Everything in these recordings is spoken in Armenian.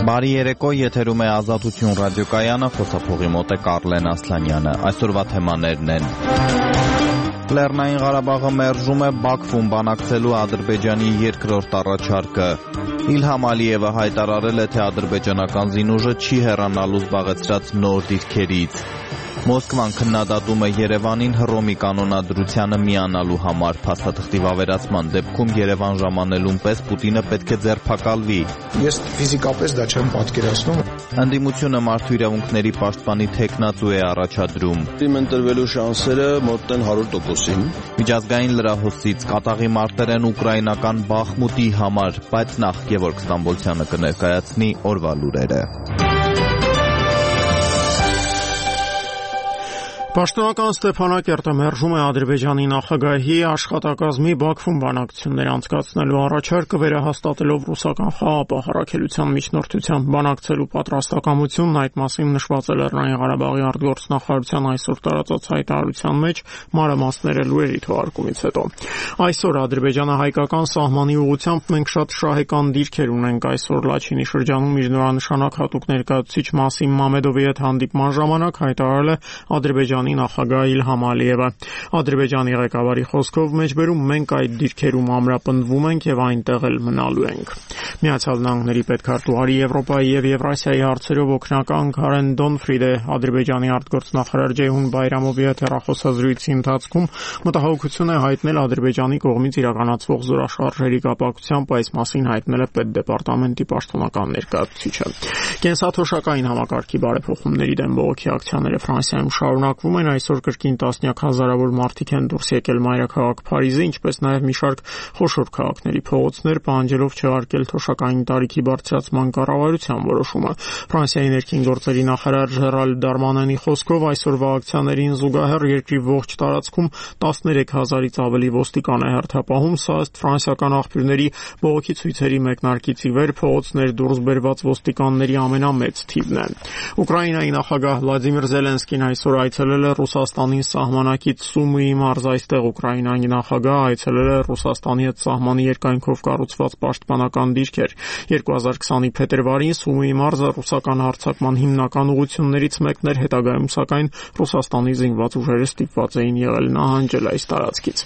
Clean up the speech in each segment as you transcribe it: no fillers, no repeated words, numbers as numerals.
Բարի երեկո, եթերում է Ազատություն ռադիոկայանը, խոսափողի մոտ է Կարլեն Ասլանյանը։ Այսօրվա թեմաներն են. Լեռնային Ղարաբաղը մերժում է Բաքվում բանակցելու Ադրբեջանի երկրորդ առաջարկը։ Իլհամ Ալիևը հայտարարել է, թե ադրբեջանական զինուժը չի հեռանալու զբաղեցրած նոր դիրքերից։ Մոսկվան քննադատում է Երևանին Հռոմի կանոնադրությանը միանալու համար։ Փաստաթղթի վավերացման դեպքում Երևան ժամանելուն պես Պուտինը պետք է ձերբակալվի։ Ես ֆիզիկապես դա չեմ պատկերացնում։ Ընդդիմությունը մարդու իրավունքների պաշտպանի թեկնածու է առաջադրում։ Իմ ընտրվելու շանսերը մոտ են 100%-ին։ Միջազգային լրահոսից կատաղի մարտեր են ուկրաինական Բախմուտի համար, բայց նախ Գևորգ Ստամբոլցյանը կներկայացնի օրվա լուրերը։ Պաշտոնական Ստեփանակերտը մերժում է Ադրբեջանի նախագահի աշխատակազմի Բաքվում բանակցություններ անցկացնելու առաջարկը, վերահաստատելով ռուսական խաղաղապահարակելության միջնորդությամբ բանակցելու պատրաստակամությունն, այդ մասին նշված է Լեռնային Ղարաբաղի արտգործնախարարության այսօր տարածած հայտարարության մեջ մանրամասները լուրերի թողարկումից հետո։ Այսօր Ադրբեջանը հայկական սահմանի ուղղությամբ մենք շատ շահեկան դիրքեր ունենք։ Այսօր Լաչինի շրջանում միջնորանշանակ հատուկ ներկայացուցիչ Մասիմ Մամեդովի հետ հանդիպման ժամանակ հայտարարել է Ադրբեջանի նախագահ Իլհամ Ալիևը։ Ադրբեջանի ղեկավարի խոսքով մեջբերում մենք այդ դիրքերում ամրապնդվում ենք եւ այնտեղ էլ մնալու ենք։ Միացյալ Նահանգների պետքարտուղարի Եվրոպայի եւ Եվրասիայի հարցերով օգնական Քարեն Դոնֆրիդը Ադրբեջանի արտգործնախարար Ջեյհուն Բայրամովի հետ հեռախոսազրույցի ընթացքում մտահոգություն է հայտնել Ադրբեջանի կողմից իրականացվող զորաշարժերի կապակցությամբ, այս մասին հայտնել է պետդեպարտամենտի պաշտոնական ներկայացուցիչը։ Կենսաթոշակային համակարգի բարեփոխումների դեմ բողոքի ակցիաները Ֆրանսիայում շարունակվում են, այսօր կրկին տասնյակ հազարավոր մարդիկ են դուրս եկել մայրաքաղաք Փարիզի, ինչպես նաև մի շարք խոշոր քաղաքների փողոցներ, պահանջելով չհարգել թոշակային տարիքի բարձրացման կառավարության որոշումը։ Ֆրանսիայի ներքին գործերի նախարար Ժերալ Դարմանանի խոսքով այսօրվա ակցիաներին զուգահեռ երկրի ողջ տարածքում 13,000-ից ավելի ոստիկան է հերթապահում, սա ըստ ֆրանսիական աղբյուրների բողոքի ցույցերի մեկնարկից ի վեր փողոցներ դուրս բերված ոստիկանների ամենամեծ թիվն է։ Ուկրաինայի նախագահ Վլադիմիր Զելենսկին այսօր այցելել է Ռուսաստանի սահմանակից Սումիի մարզ, այստեղ Ուկրաինայի նախագահը այցելել է Ռուսաստանի հետ սահմանի երկայնքով կառուցված պաշտպանական դիրքեր։ 2020-ի փետրվարին Սումիի մարզը ռուսական հարձակման հիմնական ուղղություններից մեկն էր, հետագայում սակայն Ռուսաստանի զինված ուժերը ստիպված էին եղել նահանջել այս տարածքից։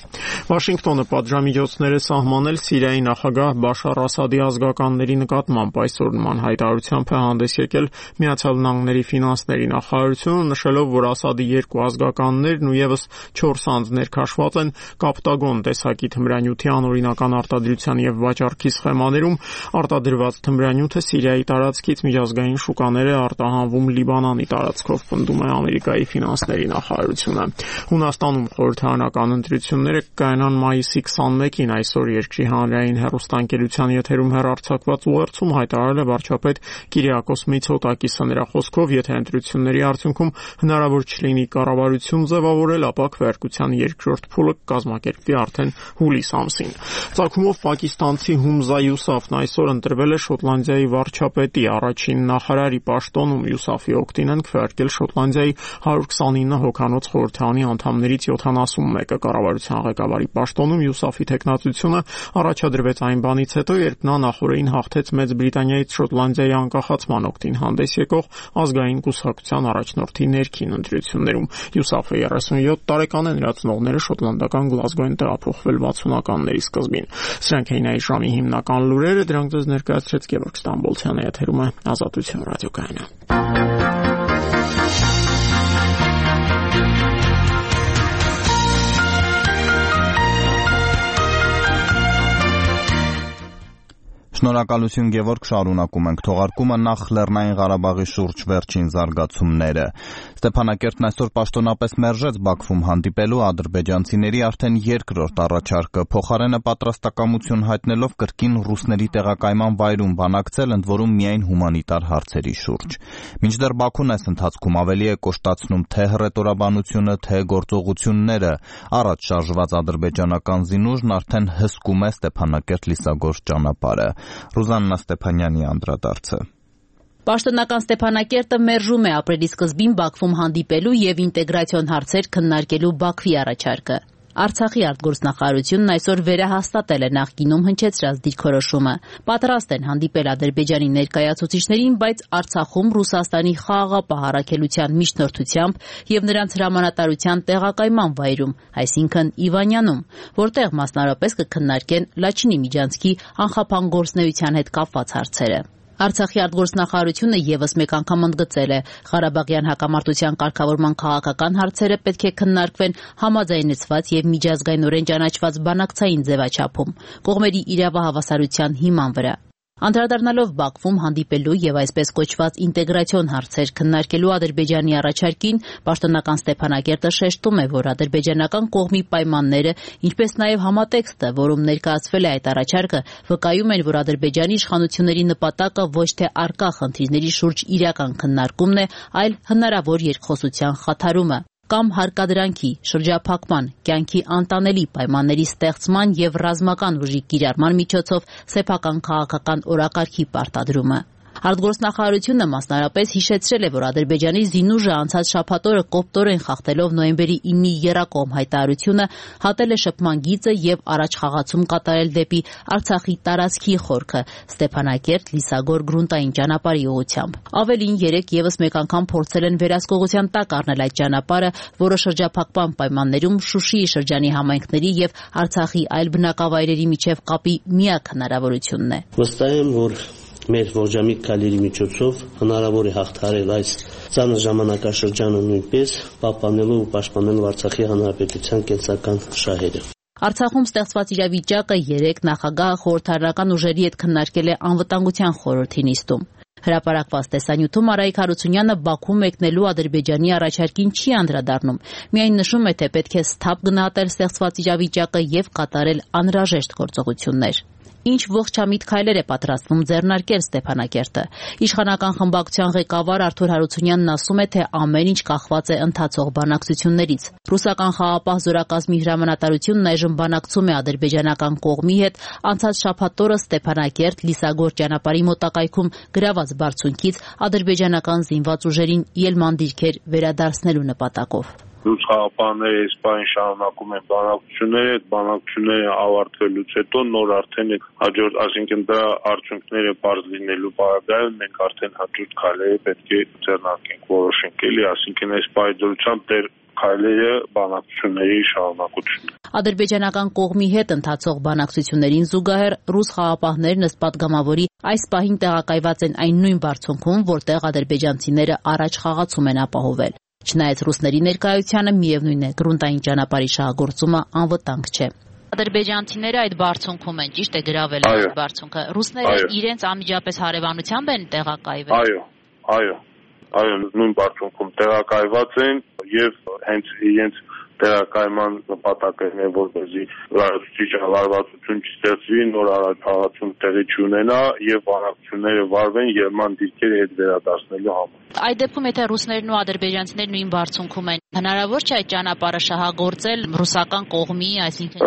Վաշինգտոնը պատժամիջոցներ է սահմանել Սիրիայի նախագահ Բաշար Ասադի ազգականների նկատմամբ, այսօր նման հայտարարությամբ է հանդես եկել Միացյալ Նահանգների ֆինանսների նախարարությունը, նշելով, որ Ասադի երկու ազգականներն ու եւս 4 անձներ քաշված են կապտագոն տեսակի թմրանյութի անօրինական արտադրության եւ վաճառքի սխեմաներում։ Արտադրված թմրանյութը Սիրիայի տարածքից միջազգային շուկաներ է արտահանվում Լիբանանի տարածքով, պնդում է Ամերիկայի ֆինանսների նախարարությունը։ Հունաստանում խորհրդարանական ընտրությունները կայանան մայիսի 21-ին, այսօր երկրի հանրային հեռուստաընկերության եթերում հեռարձակված ուղերձում հայտարարել է վարչապետ Կիրիակոս Միցոտակիսը։ Նրա խոսքով, եթե ընտրությունների արդյունքում հնարավոր չլինի կառավարություն ձևավորել, ապա քվեարկության երկրորդ փուլը կազմակերպվի արդեն հուլիս ամսին։ Ծագումով պակիստանցի Հումզա Յուսաֆն այսօր ընտրվել է Շոտլանդիայի վարչապետի, առաջին նախարարի պաշտոնում։ Յուսաֆի օգտին են քվեարկել Շոտլանդիայի 129 հոգանոց խորհրդարանի անդամներից 71-ը։ Կառավարության ղեկավարի պաշտոնում Յուսաֆի թեկնածությունը առաջադրվեց այն բանից հետո, երբ նա նախորդին հաղթեց Մեծ Բրիտանիայից Շոտլանդիայի անկախացման օգտին հանդես եկող ազգային կուսակցության առաջնորդի ներքին ընտրություններում։ Յուսաֆը 37 տարեկան է, նրա ծնողները շոտլանդական Գլազգո են տեղափոխվել 60-ականների սկզբին։ Սրանք էին այս ժամի հիմնական լուրերը, դրանք ձեզ ներկայացրեց Գևորգ Ստամբոլցյանը, եթերում է Ազատություն ռադիոկայանը։ Շնորհակալություն Գևորգ, շարունակում ենք թողարկումը, նախ Լեռնային Ղարաբաղի շուրջ վերջին զարգացումները։ Ստեփանակերտն այսօր պաշտոնապես մերժեց Բաքվում հանդիպելու ադրբեջանցիների արդեն երկրորդ առաջարկը, փոխարենը պատրաստակամություն հայտնելով կրկին ռուսների տեղակայման վայրում բանակցել, ընդ որում միայն հումանիտար հարցերի շուրջ։ Մինչդեռ Բաքուն այս ընթացքում ավելի է կոշտացնում թե հռետորաբանությունը, թե գործողությունները, առաջ շարժված ադրբեջանական զինուժն արդեն հսկում է Ստեփանակերտ-Լիսագործ ճանապարհը։ Ռուզաննա Ստեփանյանի անդրադարձը։ Պաշտոնական Ստեփանակերտը մերժում է ապրիլի սկզբին Բաքվում հանդիպելու եւ ինտեգրացիոն հարցեր քննարկելու Բաքվի առաջարկը։ Արցախի արտգործնախարարությունն այսօր վերահաստատել է նախկինում հնչեցրած դիրքորոշումը։ Պատրաստ են հանդիպել Ադրբեջանի ներկայացուցիչներին, բայց Արցախում Ռուսաստանի խաղաղապահ առաքելության միջնորդությամբ եւ նրանց հրամանատարության տեղակայման վայրում, այսինքն Իվանյանում, որտեղ մասնարարպես կքննարկեն Լաչինի միջանցքի անխափան գործունեության հետ կապված հարցերը։ Արցախի արտգործնախարարությունը եւս մեկ անգամ ընդգծել է, Ղարաբաղյան հակամարտության կարգավորման քաղաքական հարցերը պետք է քննարկվեն համաձայնեցված եւ միջազգայինորեն ճանաչված բանակցային ձևաչափում, կողմերի իրավահավասարության հիման վրա։ Անդրադառնալով Բաքվում հանդիպելու եւ այսպես կոչված ինտեգրացիոն հարցեր քննարկելու Ադրբեջանի առաջարկին, պաշտոնական Ստեփանակերտը շեշտում է, որ ադրբեջանական կողմի պայմանները, ինչպես նաեւ համատեքստը, որում ներկայացվել է այդ առաջարկը, վկայում են, որ Ադրբեջանի իշխանությունների նպատակը ոչ թե առկա խնդիրների շուրջ իրական քննարկումն է, այլ հնարավոր երկխոսության խաթարումը կամ հարկադրանքի, շրջափակման, կյանքի անտանելի պայմանների ստեղծման եւ ռազմական ուժի կիրառման միջոցով սեփական քաղաքական օրակարգի պարտադրումը։ Արտգործնախարարությունը մասնարարպես հիշեցրել է, որ Ադրբեջանի զինուժը անցած շաբաթօրը կոպտորեն խախտելով նոյեմբերի 9-ի եռակողմ հայտարարությունը հատել է շփման գիծը եւ առաջխաղացում կատարել դեպի Արցախի տարածքի խորքը Ստեփանակերտ, Լիսագոր գրունտային ճանապարհի ուղղությամբ։ Ավելին, երեք եւս մեկ անգամ փորձել են վերահսկողության տակ առնել այդ ճանապարհը, որը շրջափակման պայմաններում Շուշիի շրջանի համայնքների եւ Արցախի այլ բնակավայրերի միջև կապի միակ հնարավորությունն է։ Վստահ եմ, որ մեր ողջամիտ քայլերի միջոցով հնարավոր է հաղթահարել այս ծանր ժամանակաշրջանը նույնպես պահպանելու ու պաշտպանելու Արցախի հանրապետության կենսական շահերը։ Արցախում ստեղծված իրավիճակը երեք նախագահը խորհրդարանական ուժերի հետ քննարկել է անվտանգության խորհրդի նիստում։ Հրապարակված տեսանյութում Արայիկ Հարությունյանը Բաքու մեկնելու Ադրբեջանի առաջարկին չի անդրադառնում, միայն նշում է, թե պետք է սթափ գնահատել ստեղծված իրավիճակը եւ կատարել անհրաժեշտ գործողություններ։ Ինչ ողջամիտ քայլեր է պատրաստվում ձեռնարկել Ստեփանակերտը։ Իշխանական խմբակցության ղեկավար Արթուր Հարությունյանն ասում է, թե ամեն ինչ կախված է ընթացող բանակցություններից։ Ռուսական խաղաղապահ զորակազմի հրամանատարությունն այժմ բանակցում է ադրբեջանական կողմի հետ անցած շաբաթօրը Ստեփանակերտ Լիսագոր ճանապարհի մոտակայքում գրաված բարձունքից ադրբեջանական զինված ուժերին ելման դիրքեր վերադարձնելու նպատակով։ Ռուս խաղապահները այս պահին շարունակում են բանակցությունները, այդ բանակցությունները ավարտվելուց հետո նոր արդեն հաջորդ, այսինքն դրա արդյունքները բարձ լինելու պարագայում մենք արդեն հաջորդ քայլերը պետք է ձեռնարկենք, որոշենք էլի, այսինքն այս պահի դրությամբ դեռ քայլերը բանակցությունների շարունակությունն։ Ադրբեջանական կողմի հետ ընթացող բանակցություններին զուգահեռ ռուս խաղապահներն ըստ պատգամավորի այս պահին տեղակայված են այն նույն բարձունքում, որտեղ ադրբեջանցիները առաջ խաղացում են ապահովել։ Չնայած ռուսների ներկայությանը միևնույն է, գրունտային ճանապարհի շահագործումը անվտանգ չէ։ Ադրբեջանցիները այդ բարձունքում են, ճիշտ է, գրավել են այդ բարձունքը։ Ռուսները իրենց անմիջապես հարևանությամբ են տեղակայվել։ Այո, նույն բարձունքում տեղակայված են եւ հենց իրենց տեղակայման նպատակն է, որպեսզի լարվածություն չստեղծվի, նոր առաջխաղացում տեղի չունենա եւ բանակցությունները վարվեն ելման դիրքերը հետ վերադարձնելու համար։ Այդ դեպքում, եթե ռուսներն ու ադրբեջանցիներն նույն բարձունքում են, հնարավոր չէ այդ ճանապարհը շահագործել ռուսական կողմի, այսինքն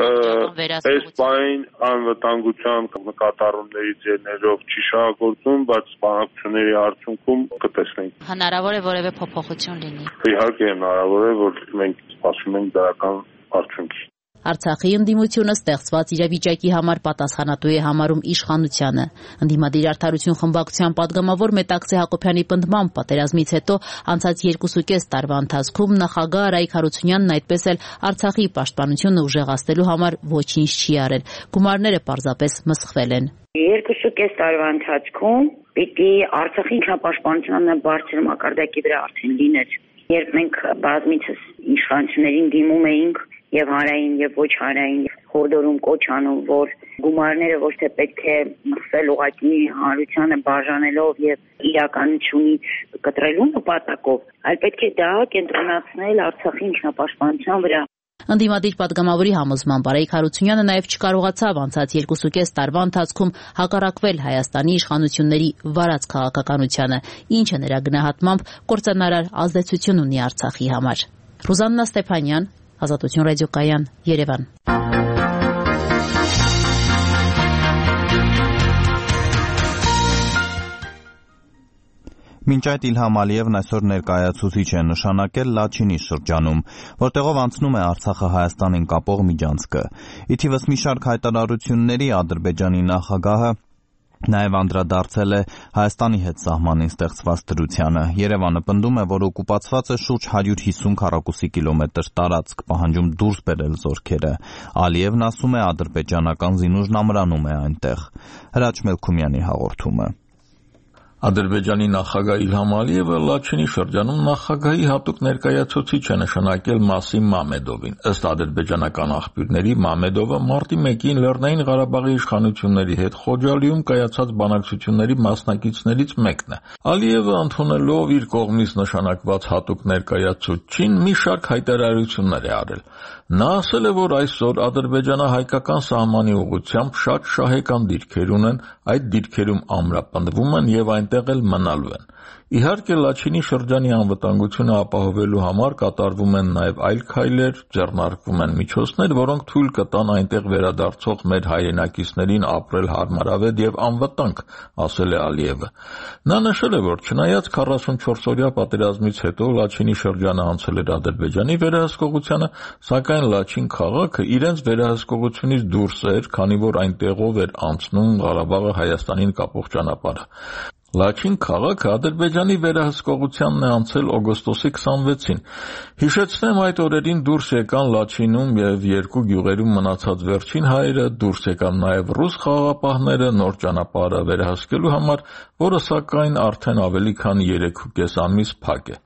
վերահսկողության։ Այս պահին անվտանգության նկատառումներից ելնելով չի շահագործում, բայց բանակցությունների արդյունքում կտեսնենք։ Հնարավոր է որևէ փոփոխություն լինի։ Իհարկե հնարավոր է, որ մենք սպասում ենք դրական արդյունքի։ Արցախի ընդդիմությունը ստեղծված իրավիճակի համար պատասխանատու է համարում իշխանությանը։ Ընդդիմադիր արդարություն խմբակցության падգամավոր Մետաքսե Հակոբյանի պնդմամբ պատերազմից հետո անցած 2.5 տարվա ընթացքում նախագահ Արայիկ Հարությունյանն այդպես էլ Արցախի պաշտպանությունը ուժեղացնելու համար ոչինչ չի արել։ Գումարները պարզապես մսխվել են։ 2.5 տարվա ընթացքում պիտի Արցախի ինքնապաշտպանությունը բարձր մակարդակի վրա արդեն լիներ։ Երբ մենք բազմիցս իշխանություններին դիմում էինք եւ հանրային եւ ոչ հանրային խորհրդում կոչ անում, որ գումարները ոչ թե պետք է մսվել ուղղակի հանրությանը բաժանելով եւ իրականությունից կտրելու նպատակով, այլ պետք է դա կենտրոնացնել Արցախի ինքնապաշտպանության վրա։ Ընդդիմադիր падգամավորի համոզմամբ Արայիկ Հարությունյանը նաև չկարողացավ անցած 2.5 տարվա ընթացքում հակառակվել Հայաստանի իշխանությունների վարած քաղաքականությանը, ինչը նրա գնահատմամբ կործանարար ազդեցություն ունի Արցախի համար։ Ռուզաննա Ստեփանյան, Ազատություն ռադիոկայան, Երևան։ Մինչ այդ Իլհամ Ալիևն այսօր ներկայացուցիչ է նշանակել Լաչինի շրջանում, որտեղով անցնում է Արցախը Հայաստանին կապող միջանցքը։ Ի թիվս մի շարք հայտարարությունների Ադրբեջանի նախագահը նաև անդրադարձել է Հայաստանի հետ սահմանին ստեղծված դրությանը։ Երևանը պնդում է, որ օկուպացվածը շուրջ 150 քառակուսի կիլոմետր տարածք, պահանջում դուրս բերել զորքերը։ Ալիևն ասում է, ադրբեջանական զինուժն ամրանում է այնտեղ։ Հրաչ Մելքումյանի հաղորդումը։ Ադրբեջանի նախագահ Իլհամ Ալիևը Լաչինի շրջանում նախագահի հատուկ ներկայացուցիչ է նշանակել Մասիմ Մամեդովին։ Ըստ ադրբեջանական աղբյուրների, Մամեդովը մարտի 1-ին Լեռնային Ղարաբաղի իշխանությունների հետ Խոջալիում կայացած բանակցությունների մասնակիցներից մեկն է։ Ալիևը ընդունելով իր կողմից նշանակված հատուկ ներկայացուցչին մի շարք հայտարարություններ է արել։ Նա ասել է, որ այսօր ադրբեջանա-հայկական սահմանի ուղղությամբ շատ շահեկան դիրքեր ունեն, այդ դիրքերում ամրապնդվում են եւ այնտեղ էլ մնալու են։ Իհարկե, Լաչինի շրջանի անվտանգությունը ապահովելու համար կատարվում են նաև այլ քայլեր, ձեռնարկվում են միջոցներ, որոնք թույլ կտան այնտեղ վերադարձող մեր հայրենակիցներին ապրել հարմարավետ եւ անվտանգ, ասել է Ալիևը։ Նա նշել է, որ չնայած 44-օրյա պատերազմից հետո Լաչինի շրջանը անցել էր Ադրբեջանի վերահսկողությանը, սակայն Լաչին քաղաքը իրենց վերահսկողությունից դուրս էր, քանի որ այնտեղով էր անցնում Ղարաբաղը Հայաստանին կապող ճանապարհը։ Լաչին քաղաքը Ադրբեջանի վերահսկողությանն է անցել օգոստոսի 26-ին։ Հիշեցնեմ, այդ օրերին դուրս եկան Լաչինում եւ երկու գյուղերում մնացած վերջին հայերը, դուրս եկան նաեւ ռուս խաղաղապահները նոր ճանապարհը վերահսկելու համար, որը սակայն արդեն ավելի քան 3.5 ամիս փակ է։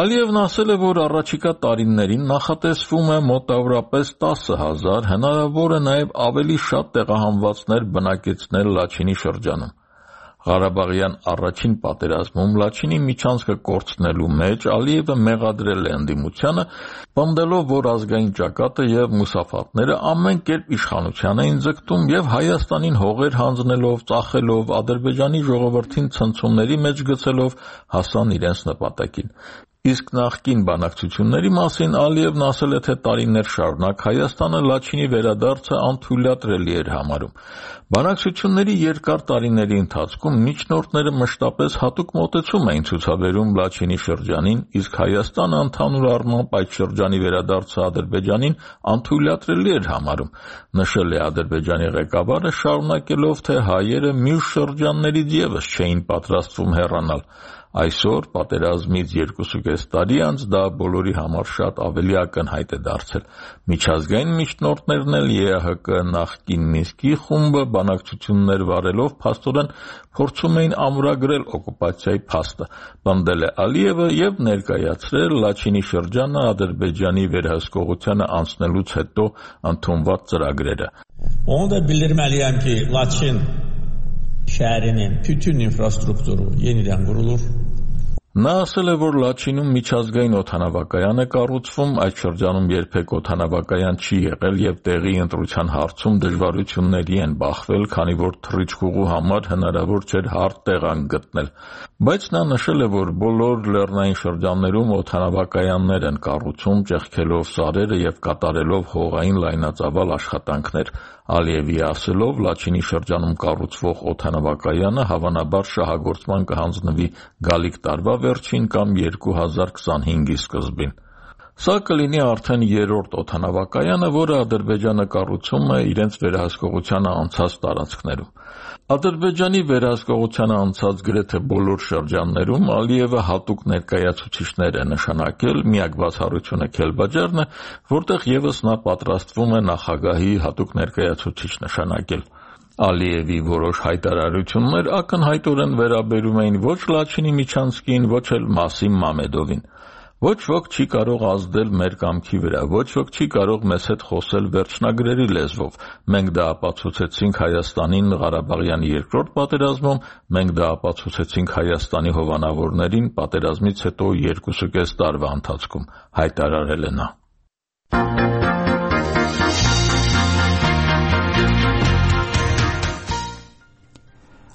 Ալիևն ասել է, որ առաջիկա տարիներին նախատեսվում է մոտավորապես 10,000, հնարավոր է նաեւ ավելի շատ տեղահանվածներ բնակեցնել Լաչինի շրջանում։ Ղարաբաղյան առաջին պատերազմում Լաչինի միջանցքը կորցնելու մեջ Ալիևը մեղադրել է ընդդիմությանը, պնդելով, որ ազգային ճակատը եւ մուսաֆատները ամեն կերպ իշխանության էին ձգտում եւ Հայաստանին հողեր հանձնելով, ծախելով, Ադրբեջանի ժողովրդին ցնցումների մեջ գցելով հասան իրենց նպատակին։ Իսկ նախկին բանակցությունների մասին Ալիևն ասել է, թե տարիներ շարունակ Հայաստանը Լաչինի վերադարձը անթույլատրելի էր համարում։ Բանակցությունների երկար տարիների ընթացքում միջնորդները մշտապես հատուկ մոտեցում էին ցուցաբերում Լաչինի շրջանին, իսկ Հայաստանը ընդհանուր առմամբ այդ շրջանի վերադարձը Ադրբեջանին անթույլատրելի էր համարում, նշել է Ադրբեջանի ղեկավարը, շարունակելով, թե հայերը մյուս շրջաններից ևս չէին պատրաստվում հեռանալ։ Այսօր, պատերազմից 2.5 տարի անց, դա բոլորի համար շատ ավելի ակնհայտ է դարձել։ Միջազգային միջնորդներն էլ ԵԱՀԿ նախկին Մինսկի խումբը բանակցություններ վարելով փաստորեն փորձում էին ամրագրել օկուպացիայի փաստը, պնդել է Ալիևը եւ ներկայացրել Լաչինի շրջանը Ադրբեջանի վերահսկողությանը անցնելուց հետո ընդունված ծրագրերը։ Onu da bildirməliyəm ki, Laçin şəhərinin bütün infrastrukturu yenidən qurulur. Նա ասել է, որ Լաչինում միջազգային օդանավակայան է կառուցվում, այդ շրջանում երբեք օդանավակայան չի եղել եւ տեղի ընտրության հարցում դժվարությունների են բախվել, քանի որ թռիչքուղու համար հնարավոր չէր հարթ տեղանք գտնել։ Բայց նա նշել է, որ բոլոր լեռնային շրջաններում օդանավակայաններ են կառուցում, ճեղքելով սարերը եւ կատարելով հողային լայնածավալ աշխատանքներ։ Ալիևի ասելով, Լաչինի շրջանում կառուցվող օդանավակայանը հավանաբար շահագործման կհանձնվի գալիք տարվա վերջին կամ 2025-ի սկզբին։ Սա կլինի արդեն երրորդ օդանավակայանը, որը Ադրբեջանը կառուցում է իրենց վերահսկողությանը անցած տարածքներում։ Ադրբեջանի վերահսկողությանը անցած գրեթե բոլոր շրջաններում Ալիևը հատուկ ներկայացուցիչներ է նշանակել, միակ բացառությունը Քելբաջարն է, որտեղ ևս նա պատրաստվում է նախագահի հատուկ ներկայացուցիչ նշանակել։ Ալիևի որոշ հայտարարություններ ակնհայտորեն վերաբերում էին ոչ Լաչինի միջանցքին, ոչ էլ Մասիմ Մամեդովին։ Ոչ ոք չի կարող ազդել մեր կամքի վրա, ոչ ոք չի կարող մեզ հետ խոսել վերջնագրերի լեզվով։ Մենք դա ապացուցեցինք Հայաստանին Ղարաբաղյան երկրորդ պատերազմում, մենք դա ապացուցեցինք Հայաստանի հովանավորներին պատերազմից հետո 2.5 տարվա ընթացքում, հայտարարել է նա։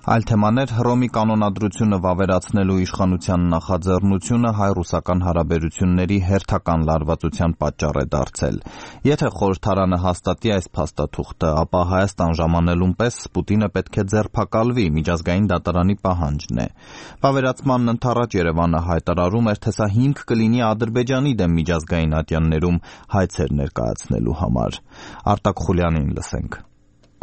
Այլ թեմաներ Հռոմի կանոնադրությունը վավերացնելու իշխանության նախաձեռնությունը հայ-ռուսական հարաբերությունների հերթական լարվածության պատճառ է դարձել։ Եթե խորհրդարանը հաստատի այս փաստաթուղթը, ապա Հայաստան ժամանելուն պես Պուտինը պետք է ձերբակալվի, միջազգային դատարանի պահանջն է։ Վավերացմանն ընդառաջ Երևանը հայտարարում էր, թե սա հիմք կլինի Ադրբեջանի դեմ միջազգային ատյաններում հայցեր ներկայացնելու համար։ Արտակ Խուլյանին լսենք։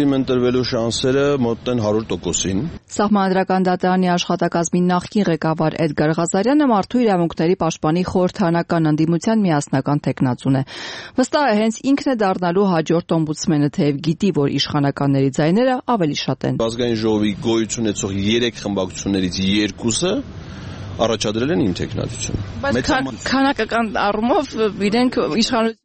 Իմ ընտրվելու շանսերը մոտ են 100%-ին։ Սահմանադրական դատարանի աշխատակազմի նախկին ղեկավար Էդգար Ղազարյանը մարդու իրավունքների պաշտպանի խորհրդարանական ընդդիմության միասնական թեկնածուն է։ Վստահ է, հենց ինքն է դառնալու հաջորդ օմբուդսմենը, թեև գիտի, որ իշխանականների ձայները ավելի շատ են։ Ազգային ժողովի գոյություն ունեցող 3 խմբակցություններից 2-ը առաջադրել են իմ թեկնածությունը։ Բայց քանակական առումով իրենք իշխանություն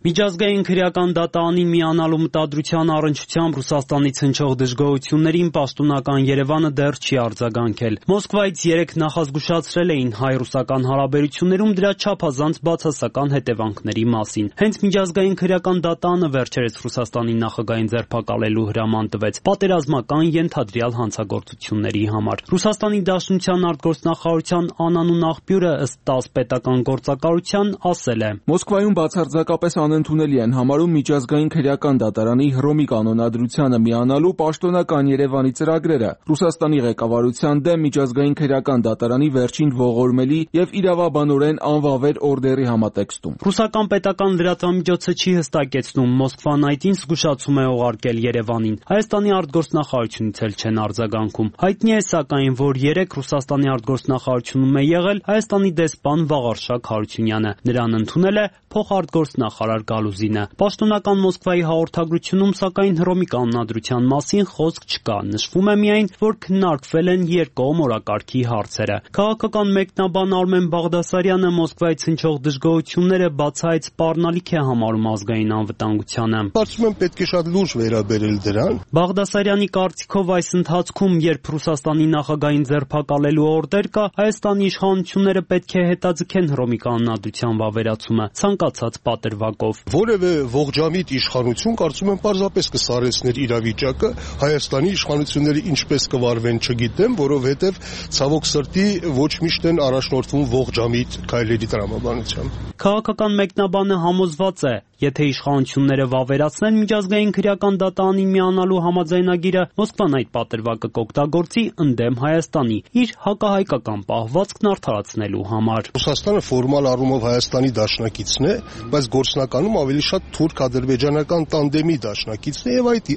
Միջազգային քրեական դատարանին միանալու մտադրության առնչությամբ Ռուսաստանից հնչող դժգոհություններին պաշտոնական Երևանը դեռ չի արձագանքել։ Մոսկվայից 3 նախազգուշացրել էին հայ-ռուսական հարաբերություններում դրա չափազանց բացասական հետևանքների մասին։ Հենց Միջազգային քրեական դատարանը վերջերս Ռուսաստանի նախագահին ձերբակալելու հրաման տվեց պատերազմական ենթադրյալ հանցագործությունների համար։ Ռուսաստանի Դաշնության արտգործնախարարության անանուն աղբյուրը ըստ ՏԱՍՍ պետական գործակալության ասել է. Մոսկվայում բացարձակապես անընդունելի են համարում Միջազգային քրեական դատարանի Հռոմի կանոնադրությանը միանալու պաշտոնական Երևանի ծրագրերը, Ռուսաստանի ղեկավարության դեմ Միջազգային քրեական դատարանի վերջին ողորմելի եւ իրավաբանորեն անվավեր օրդերի համատեքստում։ Ռուսական պետական լրատվամիջոցը չի հստակեցնում Մոսկվան այդին զգուշացում է ուղարկել Երևանին։ Հայաստանի արտգործնախարարությունից էլ չեն արձագանքում։ Հայտնի է սակայն, որ 3 Ռուսաստանի արտգործնախարարությունում է եղել Հայաստանի դեսպան Վաղարշակ Հարությունյանը։ Նրան ընդունել է փոխարտգործնախարար Գալուզինը։ Պաշտոնական Մոսկվայի հաղորդագրությունում սակայն Հռոմի կանոնադրության մասին խոսք չկա։ Նշվում է միայն, որ քննարկվել են երկկողմ օրակարգի հարցերը։ Քաղաքական մեկնաբան Արմեն Բաղդասարյանը Մոսկվայից հնչող դժգոհությունները բացահայտ սպառնալիք է համարում ազգային անվտանգությանը։ Կարծում եմ պետք է շատ լուրջ վերաբերել դրան։ Բաղդասարյանի կարծիքով այս ընթացքում, երբ Ռուսաստանի նախագահին ձերբակալելու օրդեր կա, Հայաստանի իշխանությունները պետք է հետաձգեն Հռոմի կանոնադրության վավերացումը ցանկացած պատրվակով։ Որևէ ողջամիտ իշխանություն կարծում եմ պարզապես կսարեցներ իրավիճակը, Հայաստանի իշխանությունները ինչպես կվարվեն չգիտեմ, որովհետև ցավոք սրտի ոչ միշտ են առաջնորդվում ողջամիտ քայլերի տրամաբանությամբ։ Քաղաքական մեկնաբանը համոզված է, եթե իշխանությունները վավերացնեն Միջազգային քրեական դատարանին միանալու համաձայնագիրը, Մոսկվան այդ պատրվակը կօգտագործի ընդդեմ Հայաստանի իր հակահայկական պահվածքն արդարացնելու համար։ Ռուսաստանը ֆորմալ առումով Հայաստանի դաշնակիցն է, բայց գործնականում ավելի շատ թուրք-ադրբեջանական տանդեմի դաշնակիցն է եւ այդ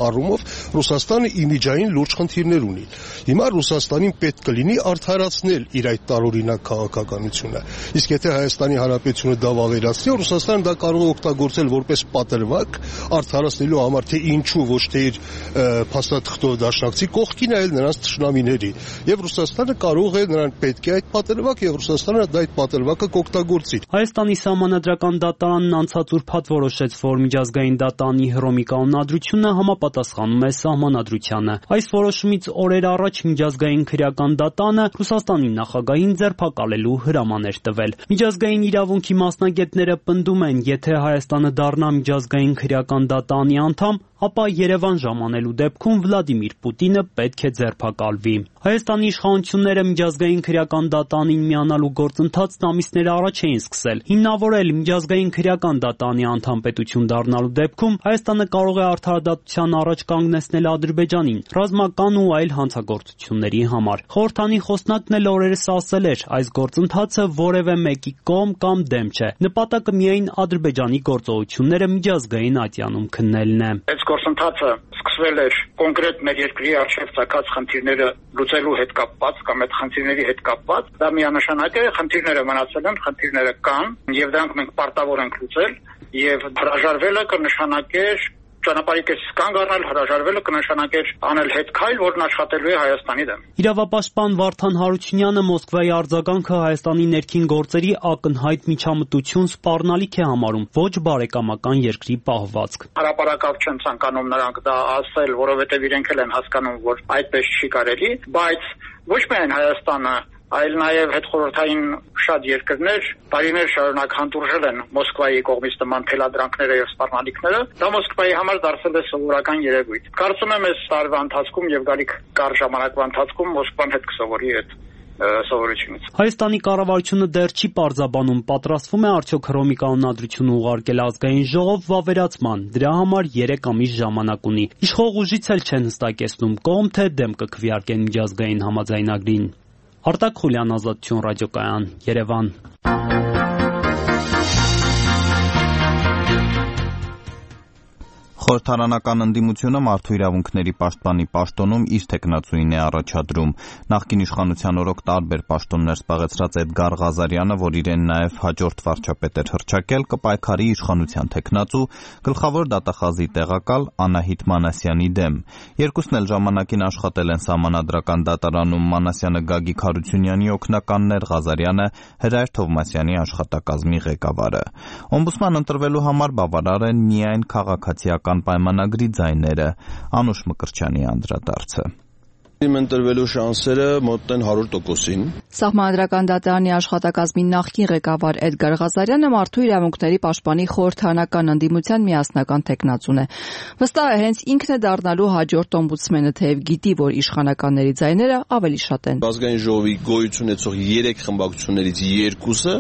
առումով Ռուսաստանը իմիջային լուրջ խնդիրներ ունի։ Հիմա Ռուսաստանին պետք կլինի արդարացնել իր այդ տարօրինակ քաղաքականությունը։ Իսկ եթե Հայաստանի Հանրապետությունը դա վավերացնի, Ռուսաստանը դա կարող է օգտագործել որպես պատրվակ արդարացնելու համար, թե ինչու ոչ թե իր փաստաթղթով դաշնակցի կողքին այլ նրանց թշնամիների։ Եվ Ռուսաստանը կարող է նրան պետք է այդ պատրվակ եւ Ռուսաստանը դա այդ պատրվակը կօգտագործի։ Հայաստանի Սահմանադրական դատարանն անցած ուրբաթ որոշեց, որ Միջազգային դատարանի Հռոմի կանոնադրությունը համապատասխանում է սահմանադրությանը։ Այս որոշումից օրեր առաջ Միջազգային քրեական դատարանը Ռուսաստանի նախագահին ձերբակալելու հրաման էր տվել։ Միջազգային իրավունքի մասնագետները պնդում են, եթե Հայաստանը դառնա Միջազգային քրեական դատարանի անդամ, ապա Երևան ժամանելու դեպքում Վլադիմիր Պուտինը պետք է ձերբակալվի։ Հայաստանի իշխանությունները Միջազգային քրեական դատարանին միանալու գործընթացն ամիսներ առաջ էին սկսել։ Հիմնավորել Միջազգային քրեական դատարանի անդամ պետություն դառնալու դեպքում Հայաստանը կարող է արդարադատության առաջ կանգնեցնել Ադրբեջանին ռազմական ու այլ հանցագործությունների համար։ Խորհրդանի խոսնակն էլ օրերս ասել էր, այս գործընթացը որևէ մեկի կողմ կամ դեմ չէ։ Նպատակը միայն Ադրբեջանի գործողությունները միջազգային ատյանում քննելն է։ Գործընթացը սկսվել էր կոնկրետ մեր երկրի առջև ցակած խնդիրները լուծելու հետ կապված կամ այդ խնդիրների հետ կապված, դա միանշանակ է, խնդիրները մնացել են, խնդիրները կան եւ դրանք մենք պարտավոր ենք լուծել եւ հրաժարվելը կնշանակեր ճանապարհի կես կանգ առնել, հրաժարվելը կնշանակեր անել հետ քայլ, որն աշխատելու է Հայաստանի դեմ։ Իրավապաշտպան Վարդան Հարությունյանը Մոսկվայի արձագանքը Հայաստանի ներքին գործերի ակնհայտ միջամտություն սպառնալիք է համարում, ոչ բարեկամական երկրի պահվածք։ Հրապարակավ չեն ցանկանում նրանք դա ասել, որովհետև իրենք էլ են հասկանում, որ այդպես չի կարելի, բայց ոչ միայն Հայաստանը այլ նաև հետխորհրդային շատ երկրներ տարիներ շարունակ հանդուրժել են Մոսկվայի կողմից նման թելադրանքները եւ սպառնալիքները, դա Մոսկվայի համար դարձել է սովորական երևույթ։ Կարծում եմ այս տարվա ընթացքում եւ գալիք կար ժամանակվա ընթացքում Մոսկվան հետ կսովորի այդ սովորությունից։ Հայաստանի կառավարությունը դեռ չի պարզաբանում, պատրաստվում է արդյոք Հռոմի կանոնադրությունը ուղարկել ազգային ժողով վավերացման։ Դրա համար 3 ամիս ժամանակ ունի։ Իշխող ուժից էլ չեն հստակեցնում կողմ թե դեմ կքվեարկեն միջազգային համաձայնագրին։ Արտակ Խուլյան, Ազատություն ռադիոկայան, Երևան։ Խորհրդարանական ընդդիմությունը մարդու իրավունքների պաշտպանի պաշտոնում իր թեկնածուին է առաջադրում։ Նախկին իշխանության օրոք տարբեր պաշտոններ զբաղեցրած Էդգար Ղազարյանը, որ իրեն նաև հաջորդ վարչապետ էր հռչակել, կպայքարի իշխանության թեկնածու, գլխավոր դատախազի տեղակալ Անահիտ Մանասյանի դեմ։ Երկուսն էլ ժամանակին աշխատել են Սահմանադրական դատարանում, Մանասյանը Գագիկ Հարությունյանի օգնականն էր, Ղազարյանը Հրայր Թովմասյանի աշխատակազմի ղեկավարը։ Օմբուդսման ընտրվելու համար բավարար են միայն քաղաքացիական պայմանագրի ձայները։ Անուշ Մկրտչյանի անդրադարձը։ Իմ ընտրվելու շանսերը մոտ են 100%-ին։ Սահմանադրական դատարանի աշխատակազմի նախկին ղեկավար Էդգար Ղազարյանը մարդու իրավունքների պաշտպանի խորհրդարանական ընդդիմության միասնական թեկնածուն է։ Վստահ է հենց ինքն է դառնալու հաջորդ օմբուդսմենը, թեև գիտի, որ իշխանականների ձայները ավելի շատ են։ Ազգային ժողովի գոյություն ունեցող 3 խմբակցություններից 2-ը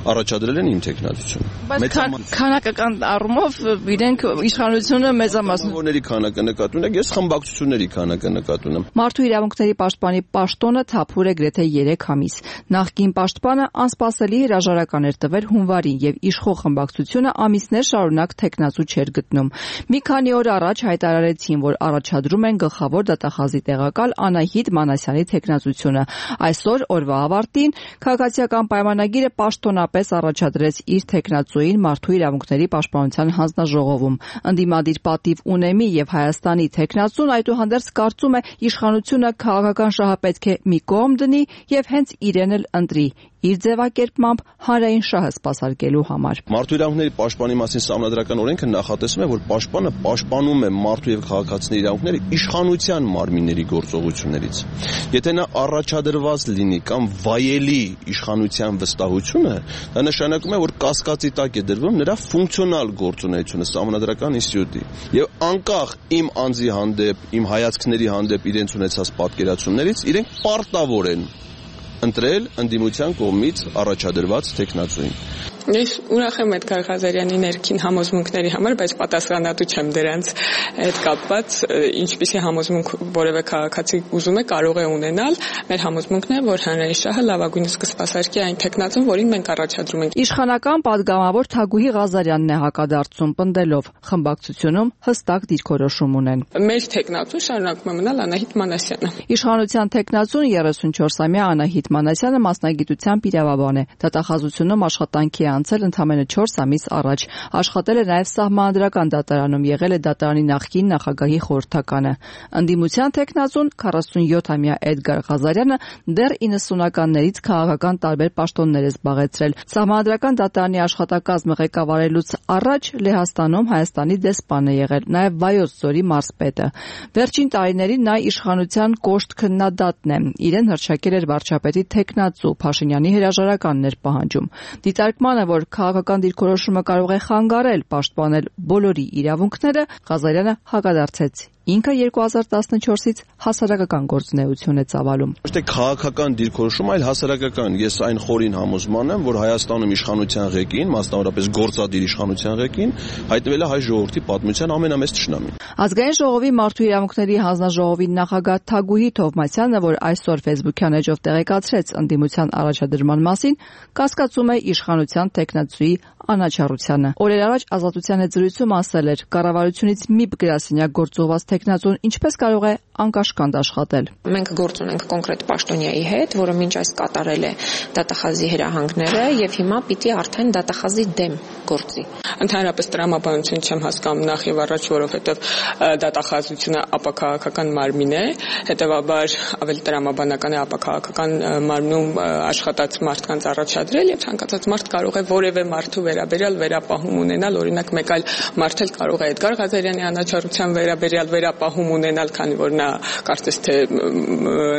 առաջադրել են իմ թեկնածությունը։ Բայց քանակական առումով իրենք իշխանությունը մեծամասն որների քանակը նկատի ունեք, ես խմբակցությունների քանակը նկատի ունեմ։ Մարդու իրավունքների պաշտպանի պաշտոնը թափուր է գրեթե 3 ամիս։ Նախկին պաշտպանը անսպասելի հրաժարական էր տվել հունվարին եւ իշխող խմբակցությունը ամիսներ շարունակ թեկնածու չէր գտնում։ Մի քանի օր առաջ հայտարարեցին, որ առաջադրում են գլխավոր դատախազի տեղակալ Անահիտ Մանասյանի թեկնածությունը։ Այսօր օրվա ավարտին քաղաքացիական պայմանագիրը պաշտոնապես առաջադրեց իր թեկնածուին մարդու իրավունքների պաշտպանության հանձնաժողովում։ Ընդդիմադիր պատիվ ունեմի եւ Հայաստանի թեկնածուն այդուհանդերձ կարծում է իշխանությունը քաղաքական շահը պետք է մի կողմ դնի եւ հենց իրեն էլ ընտրի իր ձևակերպմամբ հանրային շահը սպասարկելու համար։ Մարդու իրավունքների պաշտպանի մասին Սահմանադրական օրենքը նախատեսում է, որ պաշտպանը պաշտպանում է մարդու եւ քաղաքացիների իրավունքները իշխանության մարմինների գործողություններից։ Եթե նա առաջադրված լինի կամ վայելի իշխանության վստահությունը, դա նշանակում է, որ կասկածի տակ է դրվում նրա ֆունկցիոնալ գործունեությունը Սահմանադրական ինստիտուտի։ Եվ անկախ իմ անձի հանդեպ, իմ հայացքների հանդեպ իրենց ունեցած պատկերացումներից, իրենք պարտավոր են ընտրել ընդդիմության կողմից առաջադրված թեկնածուին։ Ես ուրախ եմ Էդգար Ղազարյանի ներքին համոզմունքների համար, բայց պատասխանատու չեմ դրանց հետ կապված, ինչպիսի համոզմունք որևէ քաղաքացի ուզում է կարող է ունենալ։ Մեր համոզմունքն է, որ հանրային շահը լավագույնս կսպասարկի այն թեկնածուն, որին մենք առաջադրում ենք։ Իշխանական падգամավոր Թագուհի Ղազարյանն է հակադարձում պնդելով, խմբակցությունում հստակ դիրքորոշում ունեն։ Մեր թեկնածուն շարունակում է մնալ Անահիտ Մանասյանը։ Իշխանության թեկնածուն 34-ամյա Անահիտ Մանասյանը մասնագիտությամբ իրավաբան է։ Դատախազությունում աշխատանքի անցել ընդամենը 4 ամիս առաջ, աշխատել է նաև Սահմանադրական դատարանում, եղել է դատարանի նախկին նախագահի խորհրդականը։ Ընդդիմության թեկնածուն 47-ամյա Էդգար Ղազարյանը դեռ 90-ականներից քաղաքական տարբեր պաշտոններ է զբաղեցրել։ Սահմանադրական դատարանի աշխատակազմը ղեկավարելուց առաջ Լեհաստանում Հայաստանի դեսպան է եղել, նաև Վայոց ձորի մարզպետը։ Վերջին տարիներին նա իշխանության կոշտ քննադատն է։ Իրեն հռչակել էր վարչապետի թեկնածու, Փաշինյանի հրաժարականն էր պահանջում։ Դիտարկմանը, որ քաղաքական դիրքորոշումը կարող է խանգարել պաշտպանել բոլորի իրավունքները, Ղազարյանը հակադարձեց։ Ինքը 2014-ից հասարակական գործունեություն է ծավալում։ Ոչ թե քաղաքական դիրքորոշում, այլ հասարակական։ Ես այն խորին համոզման եմ, որ Հայաստանում իշխանության ղեկին, մասնավորապես գործադիր իշխանության ղեկին, հայտնվել է հայ ժողովրդի պատմության ամենամեծ թշնամին։ Ազգային ժողովի մարդու իրավունքների հանձնաժողովի նախագահ Թագուհի Թովմասյանը, որ այսօր Facebook-յան էջով տեղեկացրեց ընդդիմության առաջադրման մասին, կասկածում է իշխանության թեկնածուի անաչառությանը։ Օրեր առաջ Ազատության հետ զրույցում ասել էր, կառավարությունից մի գրասենյակ գործողված թեկնածուն ինչպես կարող է անկաշկանդ աշխատել։ Մենք գործ ունենք կոնկրետ պաշտոնյայի հետ, որը մինչ այս կատարել է դատախազի հրահանգները եւ հիմա պիտի արդեն դատախազի դեմ գործի։ Ընդհանրապես տրամաբանություն չեմ հասկանում նախ եւ առաջ, որովհետեւ դատախազությունը ապաքաղաքական մարմին է, հետեւաբար ավելի տրամաբանական է ապաքաղաքական մարմնում աշխատած մարդկանց առաջադրել եւ ցանկացած մարդ կարող է որևէ մարդու վերաբերյալ վերապահում ունենալ, օրինակ մեկ այլ մարդ էլ կարող է Էդգար Ղազարյանի անաչառության վերաբերյալ վերապահում ունենալ, քանի որ նա կարծես թե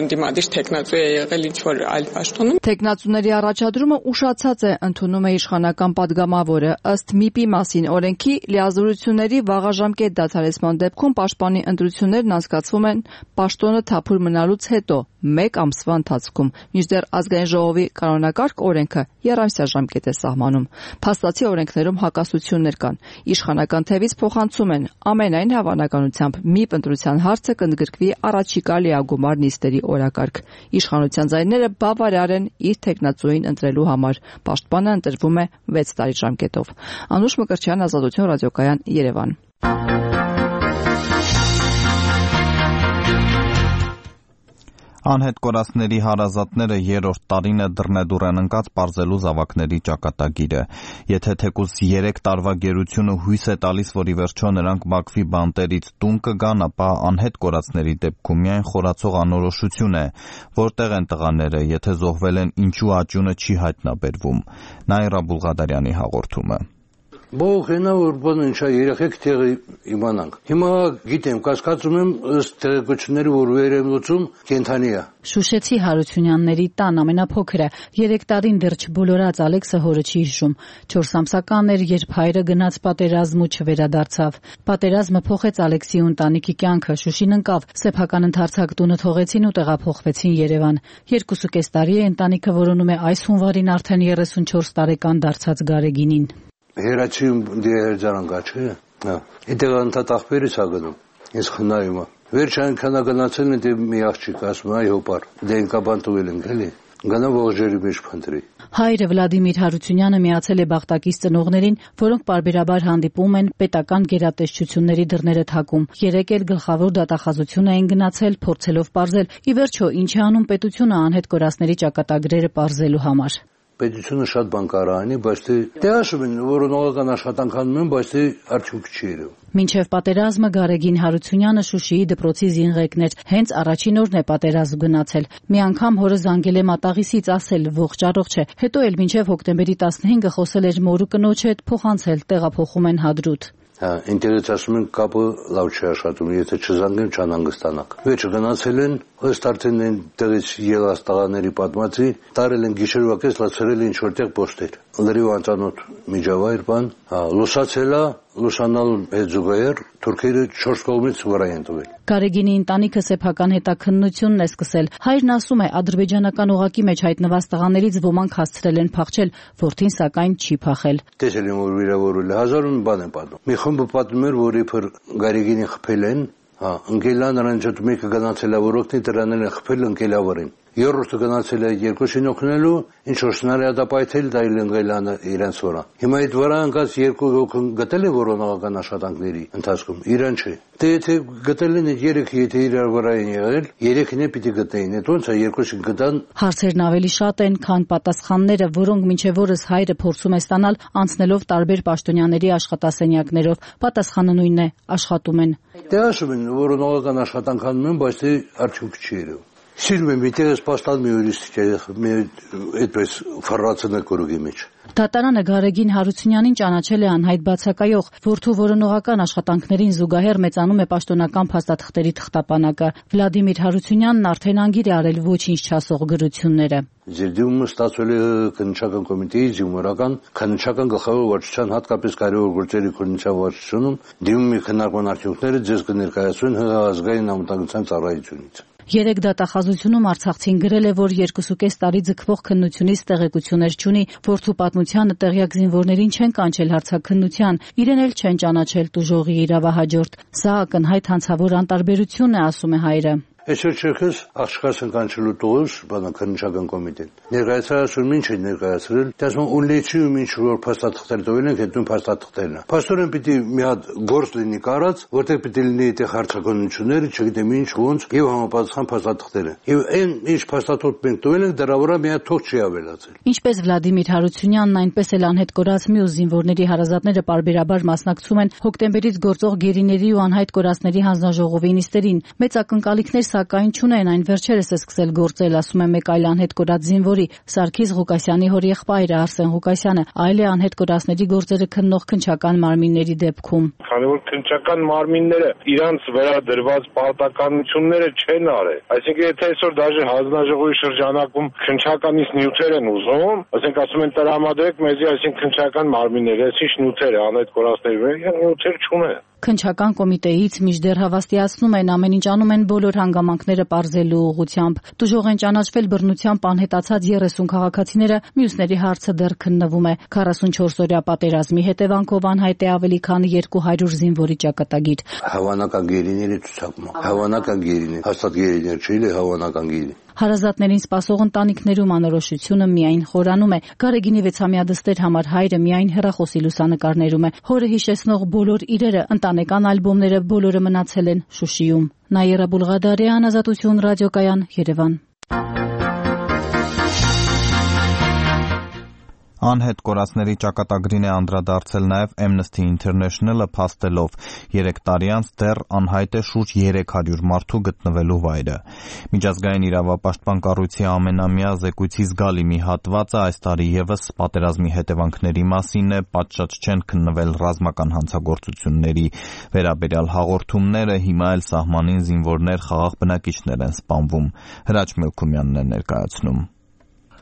ընդդիմադիր տեխնացու է եղել ինչ որ այլ պաշտոնում։ Տեխնացուների առաջադրումը ուշացած է, ընդունում է իշխանական падգամավորը, ըստ ՄԻՊ-ի մասին օրենքի լիազորությունների վաղաժամկետ դադարեցման դեպքում պաշտպանի ընտրություններն անցկացվում են պաշտոնը թափուր մնալուց հետո 1 ամսվա ընթացքում, մինչդեռ ազգային ժողովի կանոնակարգ օրենքը եռամսյա ժամկետ է սահմանում։ Փաստացի օրենքներում հակասություններ կան։ Իշխանական թևից փոխանցում են ամենայն հավանականությամբ ՄԻՊ ընտրության հարցը կընդգրկվի առաջիկա լիագումար նիստերի օրակարգ։ Իշխանության ձայները բավարար են իր տեխնացուին ընտրելու համար։ Պաշտպանը ընտրվում է 6 տարի ժամկետով։ Անուշ Մկրտչյան, Ազատություն ռադիոկայան, Երևան։ Անհետ կորածների հարազատները երրորդ տարին է դռնեդուռ են ընկած պարզելու զավակների ճակատագիրը։ Եթե թեկուզ 3 տարվա գերությունը հույս է տալիս, որ ի վերջո նրանք Բաքվի բանտերից տուն կգան, ապա անհետ կորածների դեպքում միայն խորացող անորոշություն է, որտեղ են տղաները, եթե զոհվել են, ինչու աճյունը չի հայտնաբերվում։ Նաիրա Բուլղադարյանի հաղորդումը։ Բողենա որ բան ինչա երեխեք տեղը իմանանք։ Հիմա գիտեմ, կասկածում եմ ըստ տեղեկությունների, որ վեր եմ լուծում կենթանի է։ Շուշեցի Հարությունյանների տան ամենափոքրը 3 տարին դեռ չբոլորած Ալեքսը հորը չի հիշում։ 4 ամսական էր, երբ հայրը գնաց պատերազմ ու չվերադարձավ։ Պատերազմը փոխեց Ալեքսի ու ընտանիքի կյանքը, Շուշին ընկավ, սեփական ընդարձակ տունը թողեցին ու տեղափոխվեցին Երևան։ 2.5 տարի է ընտանիքը որոնում է այս հունվարին արդեն 34 տարեկան դարձած Գարեգինին։ Հերացիում դիերջան գաչը։ Այդտեղ անտատ ախպերից ագնում։ Ես խնայում եմ։ Վերջ այնքան գնացել են դե մի աղջիկ ասում այո բար։ Դենկա բանտուել են գալի։ Գնա ողջերի մեջ փնտրի։ Հայրը Վլադիմիր Հարությունյանը միացել է Բաղտակից ծնողներին, որոնք պարբերաբար հանդիպում են պետական գերատեսչությունների դռները թակում։ 3 էլ գլխավոր դատախազություն էին գնացել, փորձելով պարզել, ի վերջո ինչ է անում պետությունը անհետ կորածների ճակատագրերը պարզելու համար։ Պետությունը շատ բան կարող անի, բայց դե ասում են, որ նորական աշխատանք անում են, բայց արդյունք չի երևում։ Մինչև պատերազմը Գարեգին Հարությունյանը Շուշիի դպրոցի զինղեկն էր, հենց առաջին օրն է պատերազմ գնացել։ Մի անգամ հորը զանգել է մատաղիսից, ասել ողջ առողջ է, հետո էլ մինչև հոկտեմբերի 15-ը խոսել էր մորու կնոջ հետ, փոխանցել, տեղափոխում են Հադրութ։ Ինտերնետից ասում են կապը լավ չի աշխատում, եթե չզանգեմ չանհանգստանաք։ Վերջը գնացել են, ըստ արդեն այն տեղից ելած տղաների պատմածի, տարել են գիշերվա կես, լացրել են ինչ-որտեղ պոստեր։ Լրիվ անծանոթ միջավայր բան, լուսացել է, լուսանալու հետ զուգահեռ թուրքերը 4 կողմից վրա են տվել։ Գարեգինի ընտանիքը սեփական հետաքննությունն է սկսել։ Հայրն ասում է, ադրբեջանական օղակի մեջ հայտնված տղաներից ոմանք հասցրել են փախչել, որդին սակայն չի փախել։ Տեսել եմ, որ վիրավորվել է, 1000 բան են պատմում։ Մի խումբը պատմում էր, որ իբր Գարեգինին խփել են, ընկելա նրան ճոտ մեկը գնացել է, որ օգնի դրանել են խփել ընկելավարին։ Երրորդը գնացել է երկուսին օգնելու, ինչ որ սնարյադապայթել դա իլընկելանը իրենց վրա։ Հիմա այդ վրա ընկած 2 հոգի գտել է որոնողական աշխատանքների ընթացքում, իրեն չէ։ Դե եթե գտել են 3, եթե իրար վրա են եղել, 3-ին է պիտի գտնեին, այդ ոնց է 2-ին գտան։ Հարցերն ավելի շատ են, քան պատասխանները, որոնք մինչև օրս հայրը փորձում է ստանալ անցնելով տարբեր պաշտոնյաների աշխատասենյակներով։ Պատասխանը նույնն է, աշխատում են։ Դե ասում են, որոնողական աշխատանք անում են, բայց արդյունք չի երևում։ Սիրում եմ միտեղս պաստան մի ուրիշ այդպես ֆարացնը կորուգի մեջ։ Դատարանը Գարեգին Հարությունյանին ճանաչել է անհայտ բացակայող, որդու որոնողական աշխատանքներին զուգահեռ մեծանում է պաշտոնական փաստաթղթերի թղթապանակը։ Վլադիմիր Հարությունյանն արդեն անգիր է արել ոչինչ չասող գրությունները։ Ձեր դիմումը ստացվել է քննչական կոմիտեի զինվորական քննչական գլխավոր վարչության հատկապես կարևոր գործերի քննչական վարչությունում դիմումի քննարկման արդյունքները ձեզ կներկայացվեն ՀՀ ազգային անվտանգության ծառայությունից։ 3 դատախազությունում Արցախցին գրել է, որ 2.5 տարի ձգվող քննությունից տեղեկություններ չունի, որդու պատմությանը տեղյակ զինվորներին չեն կանչել հարցաքննության, իրեն էլ չեն ճանաչել տուժողի իրավահաջորդ։ Սա ակնհայտ հանցավոր անտարբերություն է, ասում է հայրը։ Այսօր չերքս աղջկաս են կանչելու տողուս բանականչական կոմիտեն։ Ներկայացրել ինչ է ներկայացրել, դասում ունլեցիում ինչ որ փաստաթղթեր տվել են, հետո փաստաթղթերն է։ Փաստորեն պիտի մի հատ գործ լինի կարած, որտեղ պիտի լինի այդտեղ հարցականությունները, չգիտեմ ինչ ոնց, եւ համապատասխան փաստաթղթերը։ Եվ այն ինչ փաստաթղթ մենք տվել ենք, դրա վրա մի հատ թող չի ավելացել։ Ինչպես Վլադիմիր Հարությունյանն, այնպես էլ անհետ կորած մյուս զինվորների հարազատները պարբերաբար մասնակցում են հոկտեմբերից գործող գերիների ու անհայտ կորածների հանձնաժողովի նիստերին։ Մեծ ակնկալիքներ սակայն չունեն, այն վերջերս է սկսել գործել, ասում է մեկ այլ անհետ կորած զինվորի, Սարգիս Ղուկասյանի հորեղբայրը Արսեն Ղուկասյանը, այլ է անհետ կորածների գործերը քննող քննչական մարմինների դեպքում։ Քանի որ քննչական մարմինները իրանց վրա դրված պարտականությունները չեն արել, այսինքն եթե այսօր դաժե հանձնաժողովի շրջանակում քննչականից նյութեր են ուզում, ասենք ասում են տրամադրեք մեզի, այսինքն քննչական մարմինները, այսինչ նյութեր է անհետ կորածների, նյութեր չունեն։ Քննչական կոմիտեից մինչդեռ հավաստիացնում են ամեն ինչ անում են բոլոր հանգամանքները պարզելու ուղղությամբ։ Տուժող են ճանաչվել բռնությամբ անհետացած 30 քաղաքացիները, մյուսների հարցը դեռ քննվում է։ 44-օրյա պատերազմի հետևանքով անհայտ է ավելի քան 200 զինվորի ճակատագիր։ Հավանական գերիների ցուցակում։ Հավանական գերիներ, հաստատ գերիներ չէ, հավանական գերի։ Հարազատներին սպասող ընտանիքներում անորոշությունը միայն խորանում է։ Գարեգինի 6-ամյա դստեր համար հայրը միայն հեռախոսի լուսանկարներում է։ Հորը հիշեցնող բոլոր իրերը, ընտանեկան ալբոմները բոլորը մնացել են Շուշիում։ Նաիրա Բուլղադարյան, Ազատություն ռադիոկայան, Երևան։ Անհետ կորածների ճակատագրին է անդրադարձել նաև Amnesty International-ը, փաստելով 3 տարի անց դեռ անհայտ է շուրջ 300 մարդու գտնվելու վայրը։ Միջազգային իրավապաշտպան կառույցի ամենամյա զեկույցի զգալի մի հատվածը այս տարի ևս պատերազմի հետևանքների մասին է, պատշաճ չեն քննվել ռազմական հանցագործությունների վերաբերյալ հաղորդումները, հիմա էլ սահմանին զինվորներ, խաղաղ բնակիչներ են սպանվում։ Հրաչ Մելքումյանն է ներկայացնում։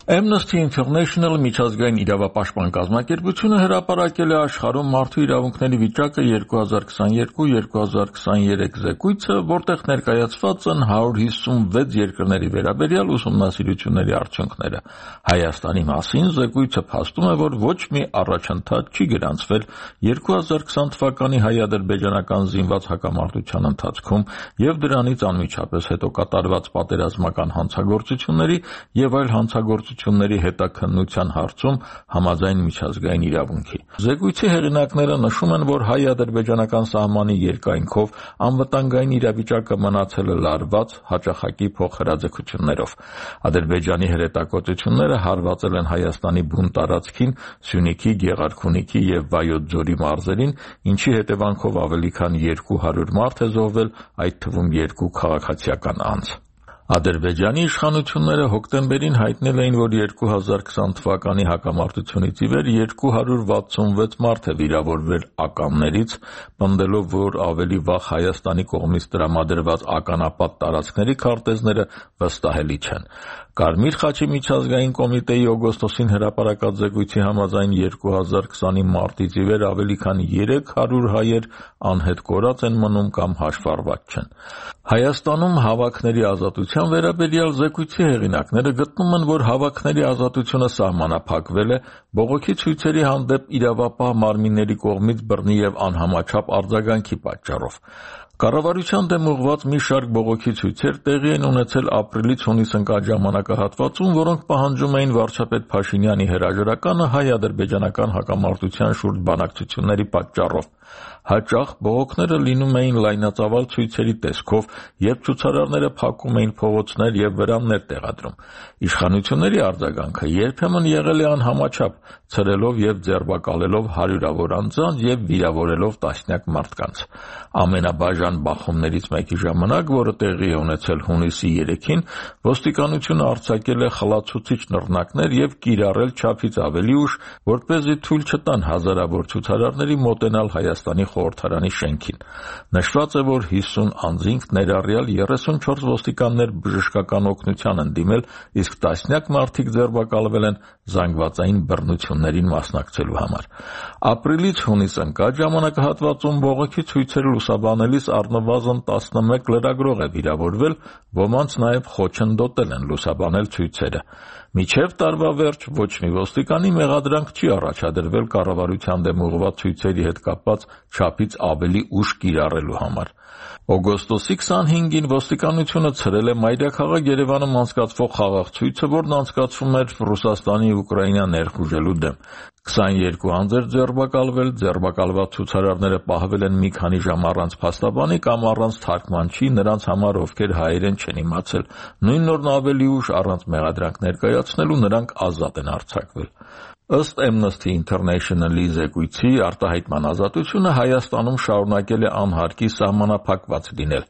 Amnesty International միջազգային իրավապաշտպան կազմակերպությունը հրապարակել է աշխարհում մարդու իրավունքների վիճակը 2023 զեկույցը, որտեղ ներկայացված են 156 երկրների վերաբերյալ ուսումնասիրությունների արդյունքները։ Հայաստանի մասին զեկույցը փաստում է, որ ոչ մի առաջընթաց չի գրանցվել 2020 թվականի հայ-ադրբեջանական զինված հակամարտության ընթացքում եւ դրանից անմիջապես հետո կատարված պատերազմական հանցագործությունների եւ այլ հանցագործությունների հետաքննության հարցում համաձայն միջազգային իրավունքի։ Զեկույցի հեղինակները նշում են, որ հայ-ադրբեջանական սահմանի երկայնքով անվտանգային իրավիճակը մնացել է լարված հաճախակի փոխհրաձգություններով։ Ադրբեջանի հրետակոծությունները հարվածել են Հայաստանի բուն տարածքին, Սյունիքի, Գեղարքունիքի եւ Վայոց ձորի մարզերին, ինչի հետևանքով ավելի քան 200 մարդ է զոհվել, այդ թվում 2 քաղաքացիական անձ։ Ադրբեջանի իշխանությունները հոկտեմբերին հայտնել էին, որ 2020 թվականի հակամարտությունից ի վեր 266 մարդ է վիրավորվել ականներից, պնդելով, որ ավելի վաղ Հայաստանի կողմից տրամադրված ականապատ տարածքների քարտեզները վստահելի չեն։ Կարմիր խաչի միջազգային կոմիտեի օգոստոսին հրապարակած զեկույցի համաձայն 2020-ի մարտից ի վեր ավելի քան 300 հայեր անհետ կորած են մնում կամ հաշվառված չեն։ Հայաստանում հավաքների ազատության վերաբերյալ զեկույցի հեղինակները գտնում են, որ հավաքների ազատությունը սահմանափակվել է բողոքի ցույցերի հանդեպ իրավապահ մարմինների կողմից բռնի եւ անհամաչափ արձագանքի պատճառով։ Կառավարության դեմ ուղղված մի շարք բողոքի ցույցեր տեղի են ունեցել ապրիլից հունիս ընկած ժամանակահատվածում, որոնք պահանջում էին վարչապետ Փաշինյանի հրաժարականը հայ-ադրբեջանական հակամարտության շուրջ բանակցությունների պատճառով։ Հաճախ բողոքները լինում էին լայնածավալ ցույցերի տեսքով, երբ ցուցարարները փակում էին փողոցներ եւ վրաններ տեղադրում։ Իշխանությունների արձագանքը երբեմն եղել է անհամաչափ, ցրելով եւ ձերբակալելով հարյուրավոր անձանց եւ վիրավորելով տասնյակ մարդկանց։ Ամենաբաժան բախումներից մեկի ժամանակ, որը տեղի է ունեցել հունիսի 3-ին, ոստիկանությունը արձակել է խլացուցիչ նռնակներ եւ կիրառել չափից ավելի ուժ, որպեսզի թույլ չտան հազարավոր ցուցարարների մոտենալ Հայաստանի խորհրդարանի շենքին։ Նշված է, որ 50 անձինք ներառյալ 34 ոստիկաններ բժշկական օգնության են դիմել, իսկ տասնյակ մարդիկ ձերբակալվել են զանգվածային բռնություններին մասնակցելու համար։ Ապրիլից հունիս ընկած ժամանակահատվածում բողոքի ցույցերը լուսաբանելիս առնվազն 11 լրագրող է վիրավորվել, ոմանց նաև խոչընդոտել են լուսաբանել ցույցերը։ Մինչև տարվա վերջ ոչ մի ոստիկանի մեղադրանք չի առաջադրվել կառավարության դեմ ուղղված ցույցերի հետ կապված չափից ավելի ուժ կիրառելու համար։ Օգոստոսի 25-ին ոստիկանությունը ցրել է մայրաքաղաք Երևանում անցկացվող խաղաղ ցույցը, որն անցկացվում էր Ռուսաստանի Ուկրաինա ներխուժելու դեմ։ 22 անձ էր ձերբակալվել, ձերբակալված ցուցարարները պահվել են մի քանի ժամ առանց փաստաբանի կամ առանց թարգմանչի, նրանց համար, ովքեր հայերեն չեն իմացել։ Նույն օրն ավելի ուշ առանց մեղադրանք ներկայացնելու նրանք ազատ են արձակվել։ Ըստ Amnesty International-ի զեկույցի արտահայտման ազատությունը Հայաստանում շարունակել է անհարկի սահմանափակված լինել։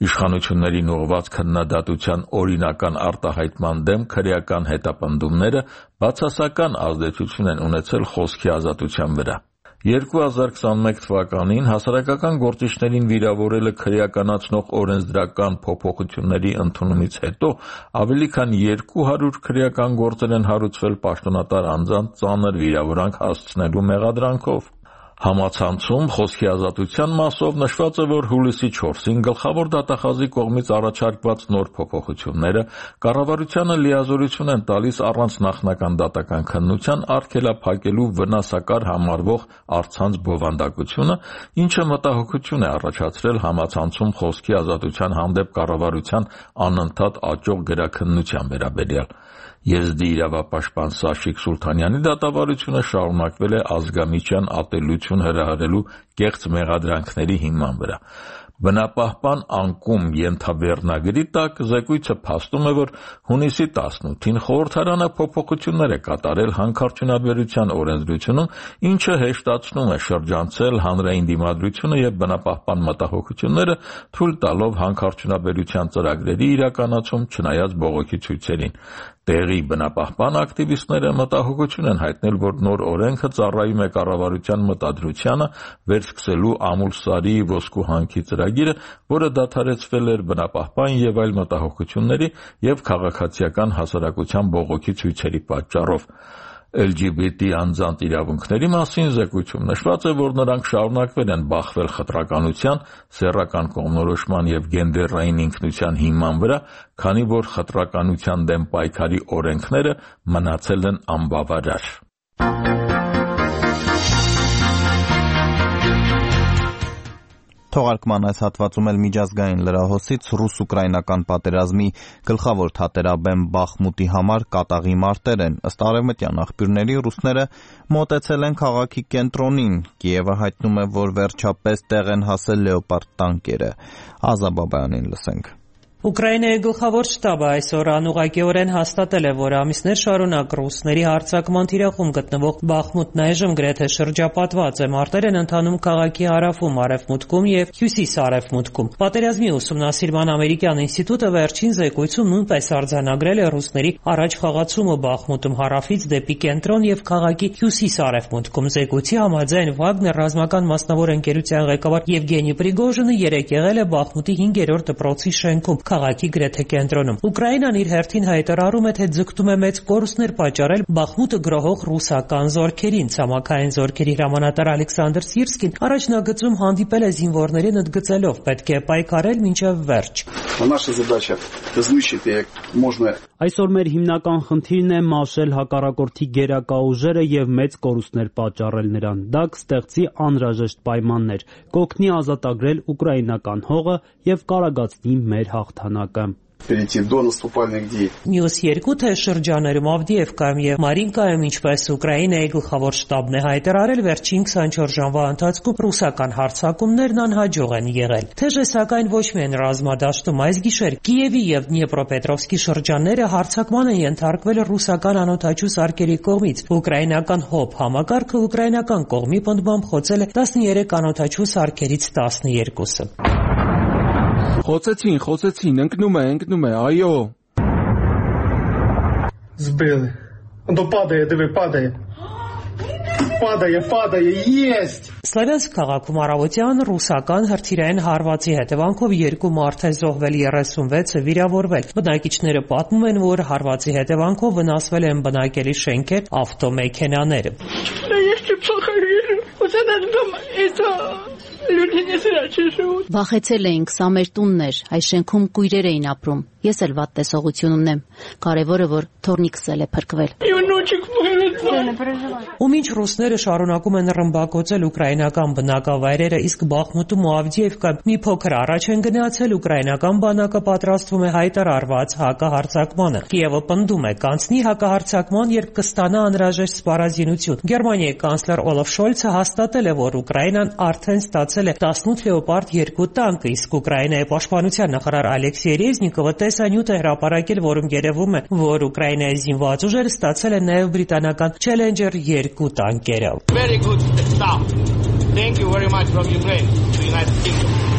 Իշխանություններին ուղղված քննադատության օրինական արտահայտման դեմ քրեական հետապնդումները բացասական ազդեցություն են ունեցել խոսքի ազատության վրա։ 2021 թվականին հասարակական գործիչներին վիրավորելը քրեականացնող օրենսդրական փոփոխությունների ընդունումից հետո ավելի քան 200 քրեական գործեր են հարուցվել պաշտոնատար անձանց ծանր վիրավորանք հասցնելու մեղադրանքով։ Համացանցում խոսքի ազատության մասով նշված է, որ հուլիսի 4-ին գլխավոր դատախազի կողմից առաջարկված նոր փոփոխությունները կառավարությանը լիազորություն են տալիս առանց նախնական դատական քննության արգելափակելու վնասակար համարվող առցանց բովանդակությունը, ինչը մտահոգություն է առաջացրել համացանցում խոսքի ազատության հանդեպ կառավարության անընդհատ աճող գրաքննության վերաբերյալ։ Եզդի իրավապաշտպան Սաշիկ Սուլթանյանի դատավարությունը շարունակվել է ազգամիջյան ատելություն հրահրելու կեղծ մեղադրանքների հիման վրա։ Բնապահպան անկում ենթավերնագրի տակ զեկույցը փաստում է, որ հունիսի 18-ին խորհրդարանը փոփոխություններ է կատարել հանքարդյունաբերության օրենսդրությունում, ինչը հեշտացնում է շրջանցել հանրային դիմադրությունը եւ բնապահպան մտահոգությունները, թույլ տալով հանքարդյունաբերության ծրագրերի իրականացում չնայած բողոքի ցույցերին։ Տեղի բնապահպան ակտիվիստները մտահոգություն են հայտնել, որ նոր օրենքը ծառայում է կառավարության մտադրությանը վերսկսելու Ամուլսարի ոսկու հանքի ծրագիրը, որը դադարեցվել էր բնապահպան եւ այլ մտահոգությունների եւ քաղաքացիական հասարակության բողոքի ցույցերի պատճառով։ LGBT անձանց իրավունքների մասին զեկույցում նշված է, որ նրանք շարունակվել են բախվել խտրականության, սեռական կողմնորոշման եւ գենդերային ինքնության հիման վրա, քանի որ խտրականության դեմ պայքարի օրենքները մնացել են անբավարար։ Թողարկման այս հատվածում էլ միջազգային լրահոսից ռուս-ուկրաինական պատերազմի գլխավոր թատերաբեմ Բախմուտի համար կատաղի մարտեր են։ Ըստ արևմտյան աղբյուրների ռուսները մոտեցել են քաղաքի կենտրոնին։ Կիևը հայտնում է, որ վերջապես տեղ են հասել լեոպարդ տանկերը։ Ազա Բաբայանին լսենք։ Ուկրաինայի գլխավոր շտաբը այսօր անուղղակիորեն հաստատել է, որ ամիսներ շարունակ ռուսների հարձակման թիրախում գտնվող Բախմուտն այժմ գրեթե շրջապատված է։ Մարտեր են ընթանում քաղաքի հարավում, արևմուտքում եւ հյուսիս-արևմուտքում։ Պատերազմի ուսումնասիրման ամերիկյան ինստիտուտը վերջին զեկույցում նույնպես արձանագրել է ռուսների առաջ խաղացումը Բախմուտում հարավից դեպի կենտրոն եւ քաղաքի հյուսիս-արևմուտքում։ Զեկույցի համաձայն Վագներ ռազմական մասնավոր ընկերության ղեկավար Եվգենի Պրիգոժինը երեկ եղել է Բախմուտի 5-րդ դպրոցի շենքում քաղաքի գրեթե կենտրոնում։ Ուկրաինան իր հերթին հայտարարում է, թե ձգտում է մեծ կորուստներ պատճառել Բախմուտը գրողող ռուսական զորքերին։ Ցամաքային զորքերի հրամանատար Ալեքսանդր Սիրսկին առաջնագծում հանդիպել է զինվորներին ընդգծելով. պետք է պայքարել մինչև վերջ։ Այսօր մեր հիմնական խնդիրն է մաշել հակառակորդի գերակա ուժերը եւ մեծ կորուստներ պատճառել նրան։ Դա կստեղծի անհրաժեշտ պայմաններ, կօգնի ազատագրել ուկրաինական հողը եւ կարագացնի մեր հաղթանակը։ Մյուս երկու շրջաներում Ավդիևկայում եւ Մարինկայում, ինչպես Ուկրաինայի գլխավոր շտաբն է հայտարարել, վերջին 24 ժամվա ընթացքում ռուսական հարձակումներն անհաջող են եղել։ Թեժ է սակայն ոչ միայն ռազմադաշտում, այս գիշեր Կիևի եւ Դնեպրոպետրովսկի շրջանները հարձակման են ենթարկվել ռուսական անօդաչու սարքերի կողմից։ Ուկրաինական ՀՕՊ համակարգը ուկրաինական կողմի պնդմամբ խոցել է 13 անօդաչու սարքերից 12-ը։ Խոցեցին, ընկնում է, այո։ Сбили. Он падает. Падає, есть! Սլավյանսկ քաղաքում առավոտյան ռուսական հրթիռային հարվածի հետևանքով 2 մարդ է զոհվել, 36-ը վիրավորվել։ Բնակիչները պատմում են, որ հարվածի հետևանքով վնասվել են բնակելի շենքեր, ավտոմեքենաներ։ Վախեցել էինք, սա մեր տունն էր, այս շենքում կույրեր էին ապրում։ Ես էլ վատ տեսողություն ունեմ։ Կարևորը, որ թորնիկս էլ է փրկվել։ Ու մինչ ռուսները շարունակում են ռմբակոծել ուկրաինական բնակավայրերը, իսկ Բախմուտում ու Ավդիևկայում մի փոքր առաջ են գնացել, ուկրաինական բանակը պատրաստվում է հայտարարված հակահարձակմանը։ Կիևը պնդում է, կանցնի հակահարձակման, երբ կստանա անհրաժեշտ սպառազինություն։ Գերմանիայի կանցլեր Օլաֆ Շոլցը հաստատել է, որ Ուկրաինան արդեն ստացել ստացել է 18 Լեոպարդ 2 տանկը, իսկ Ուկրաինայի պաշտպանության նախարար Ալեքսեյ Ռեզնիկովը տեսանյութ է հրապարակել, որում երևում է, որ Ուկրաինայի զինված ուժերը ստացել են նաև բրիտանական Challenger 2 տանկերը։ Very good stuff. Thank you very much from Ukraine to United Kingdom.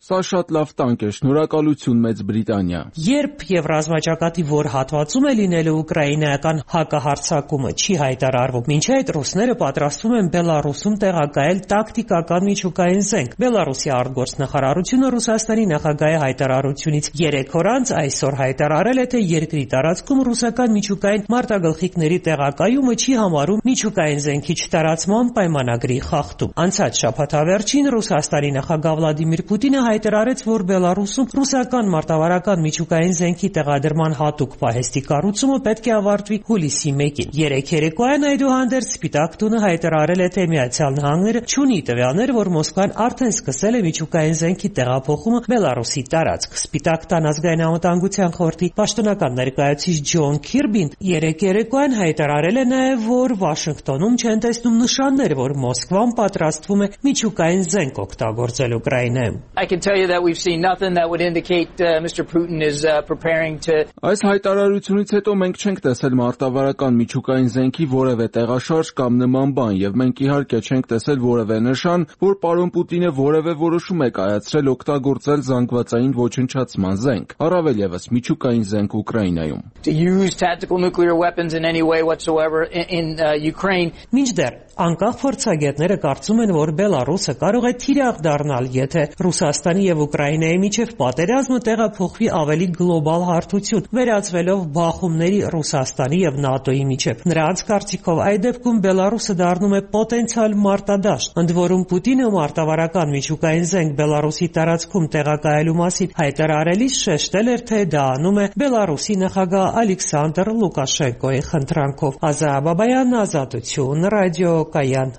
Սա շատ լավ տանկ է, շնորհակալություն Մեծ Բրիտանիա։ Երբ եւ ռազմաճակատի որ հատվածում է լինելու ուկրաինայական հակահարձակումը չի հայտարարվում, մինչ այդ ռուսները պատրաստվում են Բելարուսում տեղակայել տակտիկական միջուկային զենք։ Բելարուսի արտգործնախարարությունը Ռուսաստանի նախագահի հայտարարությունից 3 օր անց այսօր հայտարարել է, թե երկրի տարածքում ռուսական միջուկային մարտագլխիկների տեղակայումը չի համարում միջուկային զենքի չտարածման պայմանագրի խախտում։ Անցած շաբաթավերջին Ռուսաստանի նախագահ Վլադիմիր Պուտինը հայտարարեց, որ Բելարուսում ռուսական մարտավարական միջուկային զենքի տեղադրման հատուկ պահեստի կառուցումը պետք է ավարտվի հուլիսի 1-ին։ Երեկ երեկոյան այդուհանդերձ Սպիտակ տունը հայտարարել է, թե Միացյալ Նահանգները չունի տվյալներ, որ Մոսկվան արդեն սկսել է միջուկային զենքի տեղափոխումը Բելարուսի տարածք։ Սպիտակ տան ազգային անվտանգության խորհրդի պաշտոնական ներկայացուցիչ Ջոն Քիրբին երեկ երեկոյան հայտարարել է նաև, որ Վաշինգտոնում չեն տեսնում նշաններ, որ Մոսկվան պատրաստվում է միջուկային զենք օգտագործել Ուկրաինայում։ I can tell you that we've seen nothing that would indicate Mr. Putin is preparing to Այս հայտարարությունից հետո մենք չենք տեսել մարտավարական միջուկային զենքի որևէ տեղաշարժ կամ նման բան, եւ մենք իհարկե չենք տեսել որևէ նշան, որ պարոն Պուտինը որևէ որոշում է կայացրել օգտագործել զանգվածային ոչնչացման զենք, առավել եւս միջուկային զենք Ուկրաինայում։ to use tactical nuclear weapons in any way whatsoever in Ukraine. Մինչդեռ անկախ փորձագետները կարծում են, որ Բելարուսը կարող է թիրախ դառնալ, եթե Ռուսաստանի եւ Ուկրաինայի միջև պատերազմը տեղափոխվի ավելի գլոբալ հարթություն, վերածվելով բախումների Ռուսաստանի եւ ՆԱՏՕ-ի միջև։ Նրանց կարծիքով այդ դեպքում Բելարուսը դառնում է պոտենցիալ մարտադաշտ, ընդ որում Պուտինը մարտավարական միջուկային զենք Բելարուսի տարածքում տեղակայելու մասին հայտարարելիս շեշտել էր, թե դա անում է Բելարուսի նախագահ Ալեքսանդր Լուկաշենկոյի խնդրանքով։ Ազա Բաբայան, Ազատություն, ռադիո Կայան։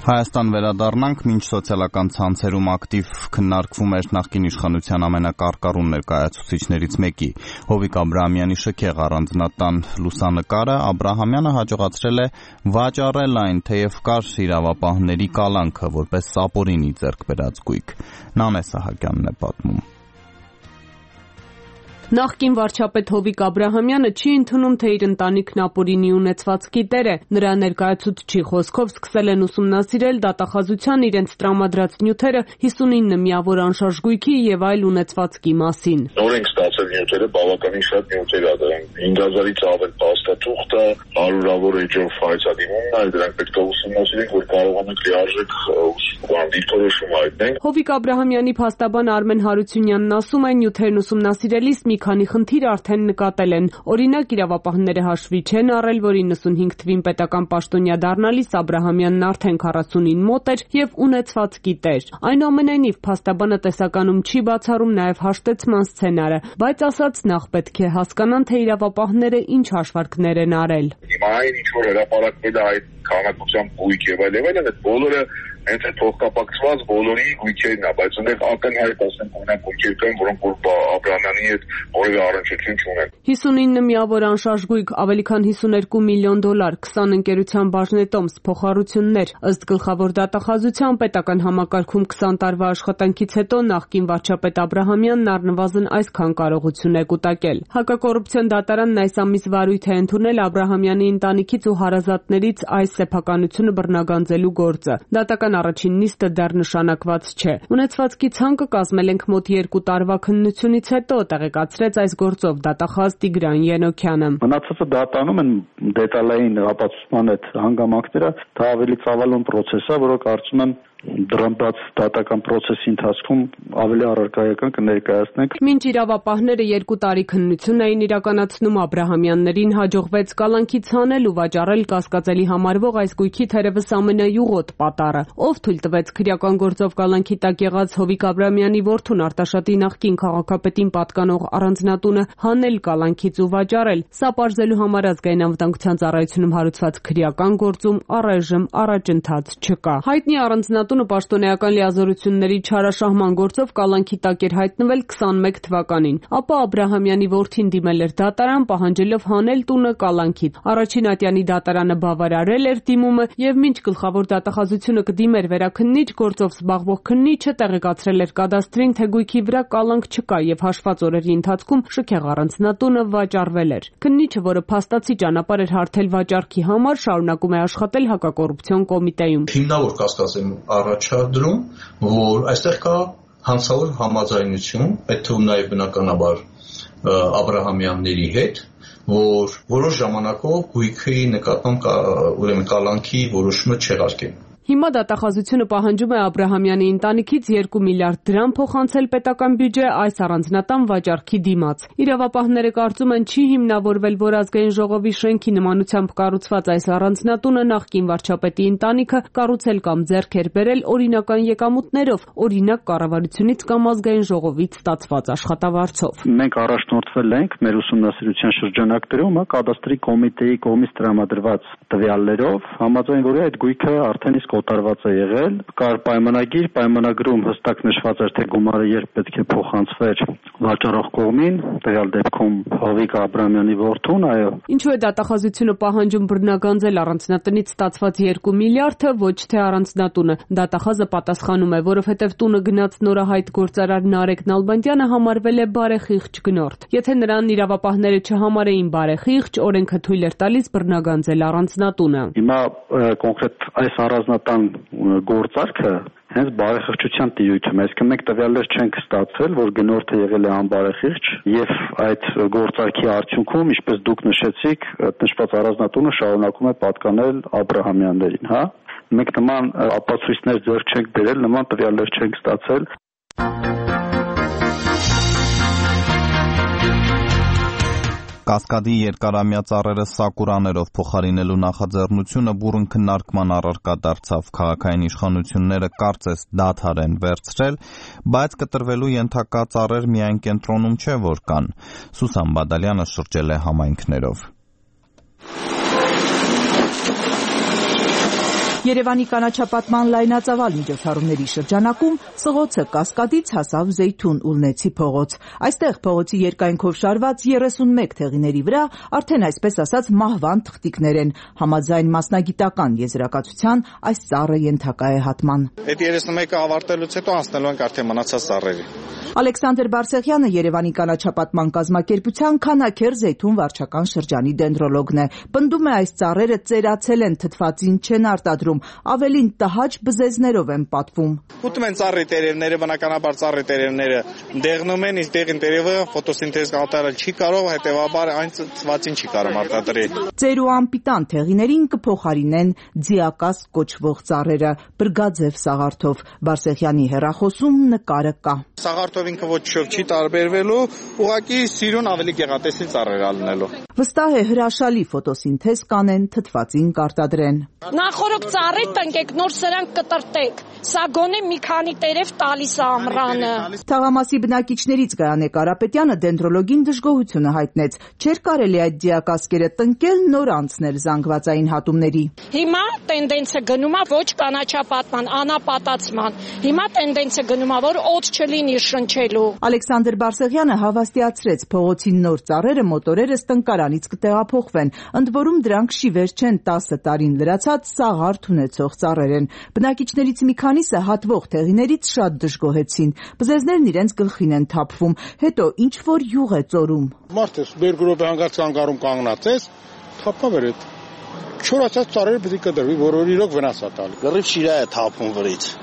Հայաստան վերադառնանք, մինչ սոցիալական ցանցերում ակտիվ քննարկվում էր նախկին իշխանության ամենակարկառուն ներկայացուցիչներից մեկի Հովիկ Աբրահամյանի շքեղ առանձնատան լուսանկարը, Աբրահամյանը հաջողացրել է վաճառել այն, թեև կար իրավապահների կալանքը, որպես սապորինի ձեռք բերած գույք։ Նանե Սահակյանն է պատմում։ Նախկին վարչապետ Հովիկ Աբրահամյանը չի ընդունում, թե իր ընտանիքն ապօրինի ունեցվածքի տեր է։ Նրա ներկայացուցչի խոսքով սկսել են ուսումնասիրել դատախազության իրենց տրամադրած նյութերը 59 միավոր անշարժ գույքի եւ այլ ունեցվածքի մասին։ Նոր ենք ստացել նյութերը, բավականին շատ նյութեր ա դրանք 5000-ից ավել փաստաթուղթ է, հարյուրավոր էջով ֆայցադիմումն է, դրանք պետք է ուսումնասիրենք, որ կարողանանք լիարժեք դիրքորոշում հայտնենք։ Հովիկ Աբրահամյանի փաստաբան Արմեն Հարությունյանն ասում է, նյութերն ուսումնասիրելիս մի քանի խնդիր արդեն նկատել են։ Օրինակ, իրավապահները հաշվի չեն առել, որ 95 թվին պետական պաշտոնյա դառնալիս Աբրահամյանն արդեն 40-ին մոտ էր եւ ունեցվածքի տեր։ Այնուամենայնիվ, փաստաբանը տեսականում չի բացառում նաեւ հաշտեցման սցենարը, բայց ասաց նախ պետք է հասկանան, թե իրավապահները ինչ հաշվարկներ են արել։ Հիմա այն ինչ որ հրապարակվել է այդ քանակությամբ գույք եւ այլն, այդ բոլորը հենց այդ փոխկապակցված բոլորի գույքերն է, բայց այնտեղ ակնհայտ ասենք ունեն գույքեր կան, որոնք որ Աբրահամյանի հետ որևէ առնչություն չունեն։ 59 միավոր անշարժ գույք, ավելի քան $52 միլիոն, 20 ընկերության բաժնետոմս, փոխառություններ։ Ըստ գլխավոր դատախազության պետական համակարգում 20 տարվա աշխատանքից հետո նախկին վարչապետ Աբրահամյանն առնվազն այսքան կարողություն է կուտակել։ Հակակոռուպցիոն դատարանն այս ամիս վարույթ է ընդունել Աբրահամյանի ընտանիքից ու հարազատներից այս սեփականությունը բռնագանձելու գործը։ Դատական առաջին նիստը դեռ նշանակված չէ։ Ունեցվածքի ցանկը կազմել ենք մոտ 2 տարվա քննությունից հետո, տեղեկացրեց այս գործով դատախազ Տիգրան Ենոքյանը։ Մնացածը դատանում են դետալային ապացուցման այդ հանգամանքները, դա ավելի ծավալուն պրոցես է, որը կարծում եմ դրամբաց դատական process-ի ընթացքում ավելի առարկայական կներկայացնենք։ Մինչ իրավապահները 2 տարի քննություն էին իրականացնում, Աբրահամյաններին հաջողվեց կալանքից հանել ու վաճառել կասկածելի համարվող այս գույքի թերևս ամենայուղոտ պատառը։ Ով թույլ տվեց քրեական գործով կալանքի տակ եղած Հովիկ Աբրահամյանի որդուն Արտաշատի նախկին քաղաքապետին պատկանող առանձնատունը հանել կալանքից ու վաճառել։ Սա պարզելու համար Ազգային անվտանգության ծառայությունում հարուցված քրեական գործում առայժմ առաջընթաց չկա։ Հայտնի առանձնատունը պաշտոնեական լիազորությունների չարաշահման գործով կալանքի տակ էր հայտնվել 21 թվականին։ Ապա Աբրահամյանի որդին դիմել էր դատարան, պահանջելով հանել տունը կալանքից։ Առաջին ատյանի դատարանը բավարարել էր դիմումը եւ մինչ գլխավոր դատախազությունը կդիմեր վերաքննիչ գործով զբաղվող քննիչը տեղեկացրել էր կադաստրին, թե գույքի վրա կալանք չկա եւ հաշված օրերի ընթացքում շքեղ առանձնատունը վաճառվել էր։ Քննիչը, որը փաստացի ճանապարհ էր հարթել վաճառքի համար, շարունակում է աշխատել հակակոռուպցիոն կոմիտեում։ Հիմնավոր կասկած եմ առաջադրում, որ այստեղ կա հանցավոր համաձայնություն, այդ թվում նաև բնականաբար Աբրահամյանների հետ, որ որոշ ժամանակով գույքի նկատմամբ ուրեմն կալանքի որոշումը չեղարկեն։ Հիմա դատախազությունը պահանջում է Աբրահամյանի ընտանիքից 2 միլիարդ դրամ փոխանցել պետական բյուջե այս առանձնատան վաճառքի դիմաց։ Իրավապահները կարծում են չի հիմնավորվել, որ Ազգային ժողովի շենքի նմանությամբ կառուցված այս առանձնատունը նախկին վարչապետի ընտանիքը կառուցել կամ ձեռք էր բերել օրինական եկամուտներով, օրինակ կառավարությունից կամ Ազգային ժողովից ստացված աշխատավարձով։ Մենք առաջնորդվել ենք մեր ուսումնասիրության շրջանակներում կադաստրի կոմիտեի կողմից տրամադրված տվյալներով, համաձայն որի այդ գույքը արդեն իսկ օտարված է եղել, կար պայմանագիր, պայմանագրում հստակ նշված էր, թե գումարը երբ պետք է փոխանցվեր վաճառող կողմին, տվյալ դեպքում Հովիկ Աբրահամյանի որդուն, այո։ Ինչու է դատախազությունը պահանջում բռնագանձել առանձնատնից ստացված 2 միլիարդը, ոչ թե առանձնատունը։ Դատախազը պատասխանում է, որովհետև տունը գնաց նորահայտ գործարար Նարեկ Նալբանդյանը համարվել է բարեխիղճ գնորդ։ Եթե նրան իրավապահները չհամարեին բարեխիղճ, օրենքը թույլ էր տալիս բռնագանձել առանձնատունը։ Հիմա կոնկրետ այս առանձնատան գործարքը հենց բարեխիղճության տիրույթում է, այսինքն մենք տվյալներ չենք ստացել, որ գնորդը եղել է անբարեխիղճ եւ այդ գործարքի արդյունքում, ինչպես դուք նշեցիք, նշված առանձնատունը շարունակում է պատկանել Աբրահամյաններին, հա։ Մենք նման ապացույցներ ձեռք չենք բերել, նման տվյալներ չենք ստացել։ Կասկադի երկարամյա ծառերը սակուրաներով փոխարինելու նախաձեռնությունը բուռն քննարկման առարկա դարձավ։ Քաղաքային իշխանությունները կարծես դադար են վերցրել, բայց կտրվելու ենթակա ծառեր միայն կենտրոնում չէ, որ կան։ Սուսան Բադալյանը շրջել է համայնքներով։ Երևանի կանաչապատման լայնածավալ միջոցառումների շրջանակում սղոցը Կասկադից հասավ Զեյթուն Ուլնեցի փողոց։ Այստեղ փողոցի երկայնքով շարված 31 թեղիների վրա արդեն այսպես ասած մահվան թղթիկներ են։ Համաձայն մասնագիտական եզրակացության այս ծառը ենթակա է հատման։ Այդ 31-ը ավարտելուց հետո անցնելու ենք արդեն մնացած ծառերի։ Ալեքսանդր Բարսեղյանը Երևանի կանաչապատման կազմակերպության Քանաքեր Զեյթուն վարչական շրջանի դենդրոլոգն է։ Պնդում է այս ծառերը ծերացել են, թթվածին չեն արտադրում, ավելին տհաճ բզեզներով են պատվում։ Ուտում են ծառի տերևները, բնականաբար ծառի տերևները դեղնում են, իսկ դեղին տերևը ֆոտոսինթեզ կատարել չի կարող, հետևաբար այն թթվածին չի կարող արտադրել։ Ծեր ու անպիտան թեղիներին կփոխարինեն ձիակաս կոչվող ծառերը, բրգաձև սաղարթով։ Բարսեղյանի հեռախոսում նկարը կա։ Սաղարթով ինքը ոչ չի տարբերվելու, ուղղակի սիրուն ավելի գեղատեսիլ ծառեր ալնելու։ Վստահ է հրաշալի ֆոտոսինթեզ կանեն, թթվածին կարտադրեն։ Նախորդ ծառի տնկեք, նոր սրանք կտրտեք։ Սա գոնե մի քանի տերև տալիս է ամռանը։ Թաղամասի բնակիչներից Գայանե Կարապետյանը դենդրոլոգին դժգոհությունը հայտնեց։ Չէր կարելի այդ դիակասկերը տնկել, նոր անցնել զանգվածային հատումների։ Հիմա տենդենսը գնում է ոչ կանաչապատման, անապատացման։ Հիմա տենդենսը գնում է, որ օդ չլինի շնչելու։ Ալեքսանդր Բարսեղյանը հավաստիացրեց փողոցի նոր ծառերը մոտորերս տնկարանից կտեղափոխվեն, ընդ որում դրանք շիվեր չեն, 10 տարին լրացած սաղարթ ունեցող ծառեր են։ Բնակիչներից մի քանիսը հատվող թեղիներից շատ դժգոհեցին։ Բզեզներն իրենց գլխին են թափվում, հետո ինչ որ յուղ է ծորում։ Մարդը բերգրոպը հանգարց կանգառում կանգնած ես, թափավ էր այդ չորացած ծառերը պետք է կդրվի, որ իրոք վնաս է տալի։ Գրիվ շիրա է թափում վրից։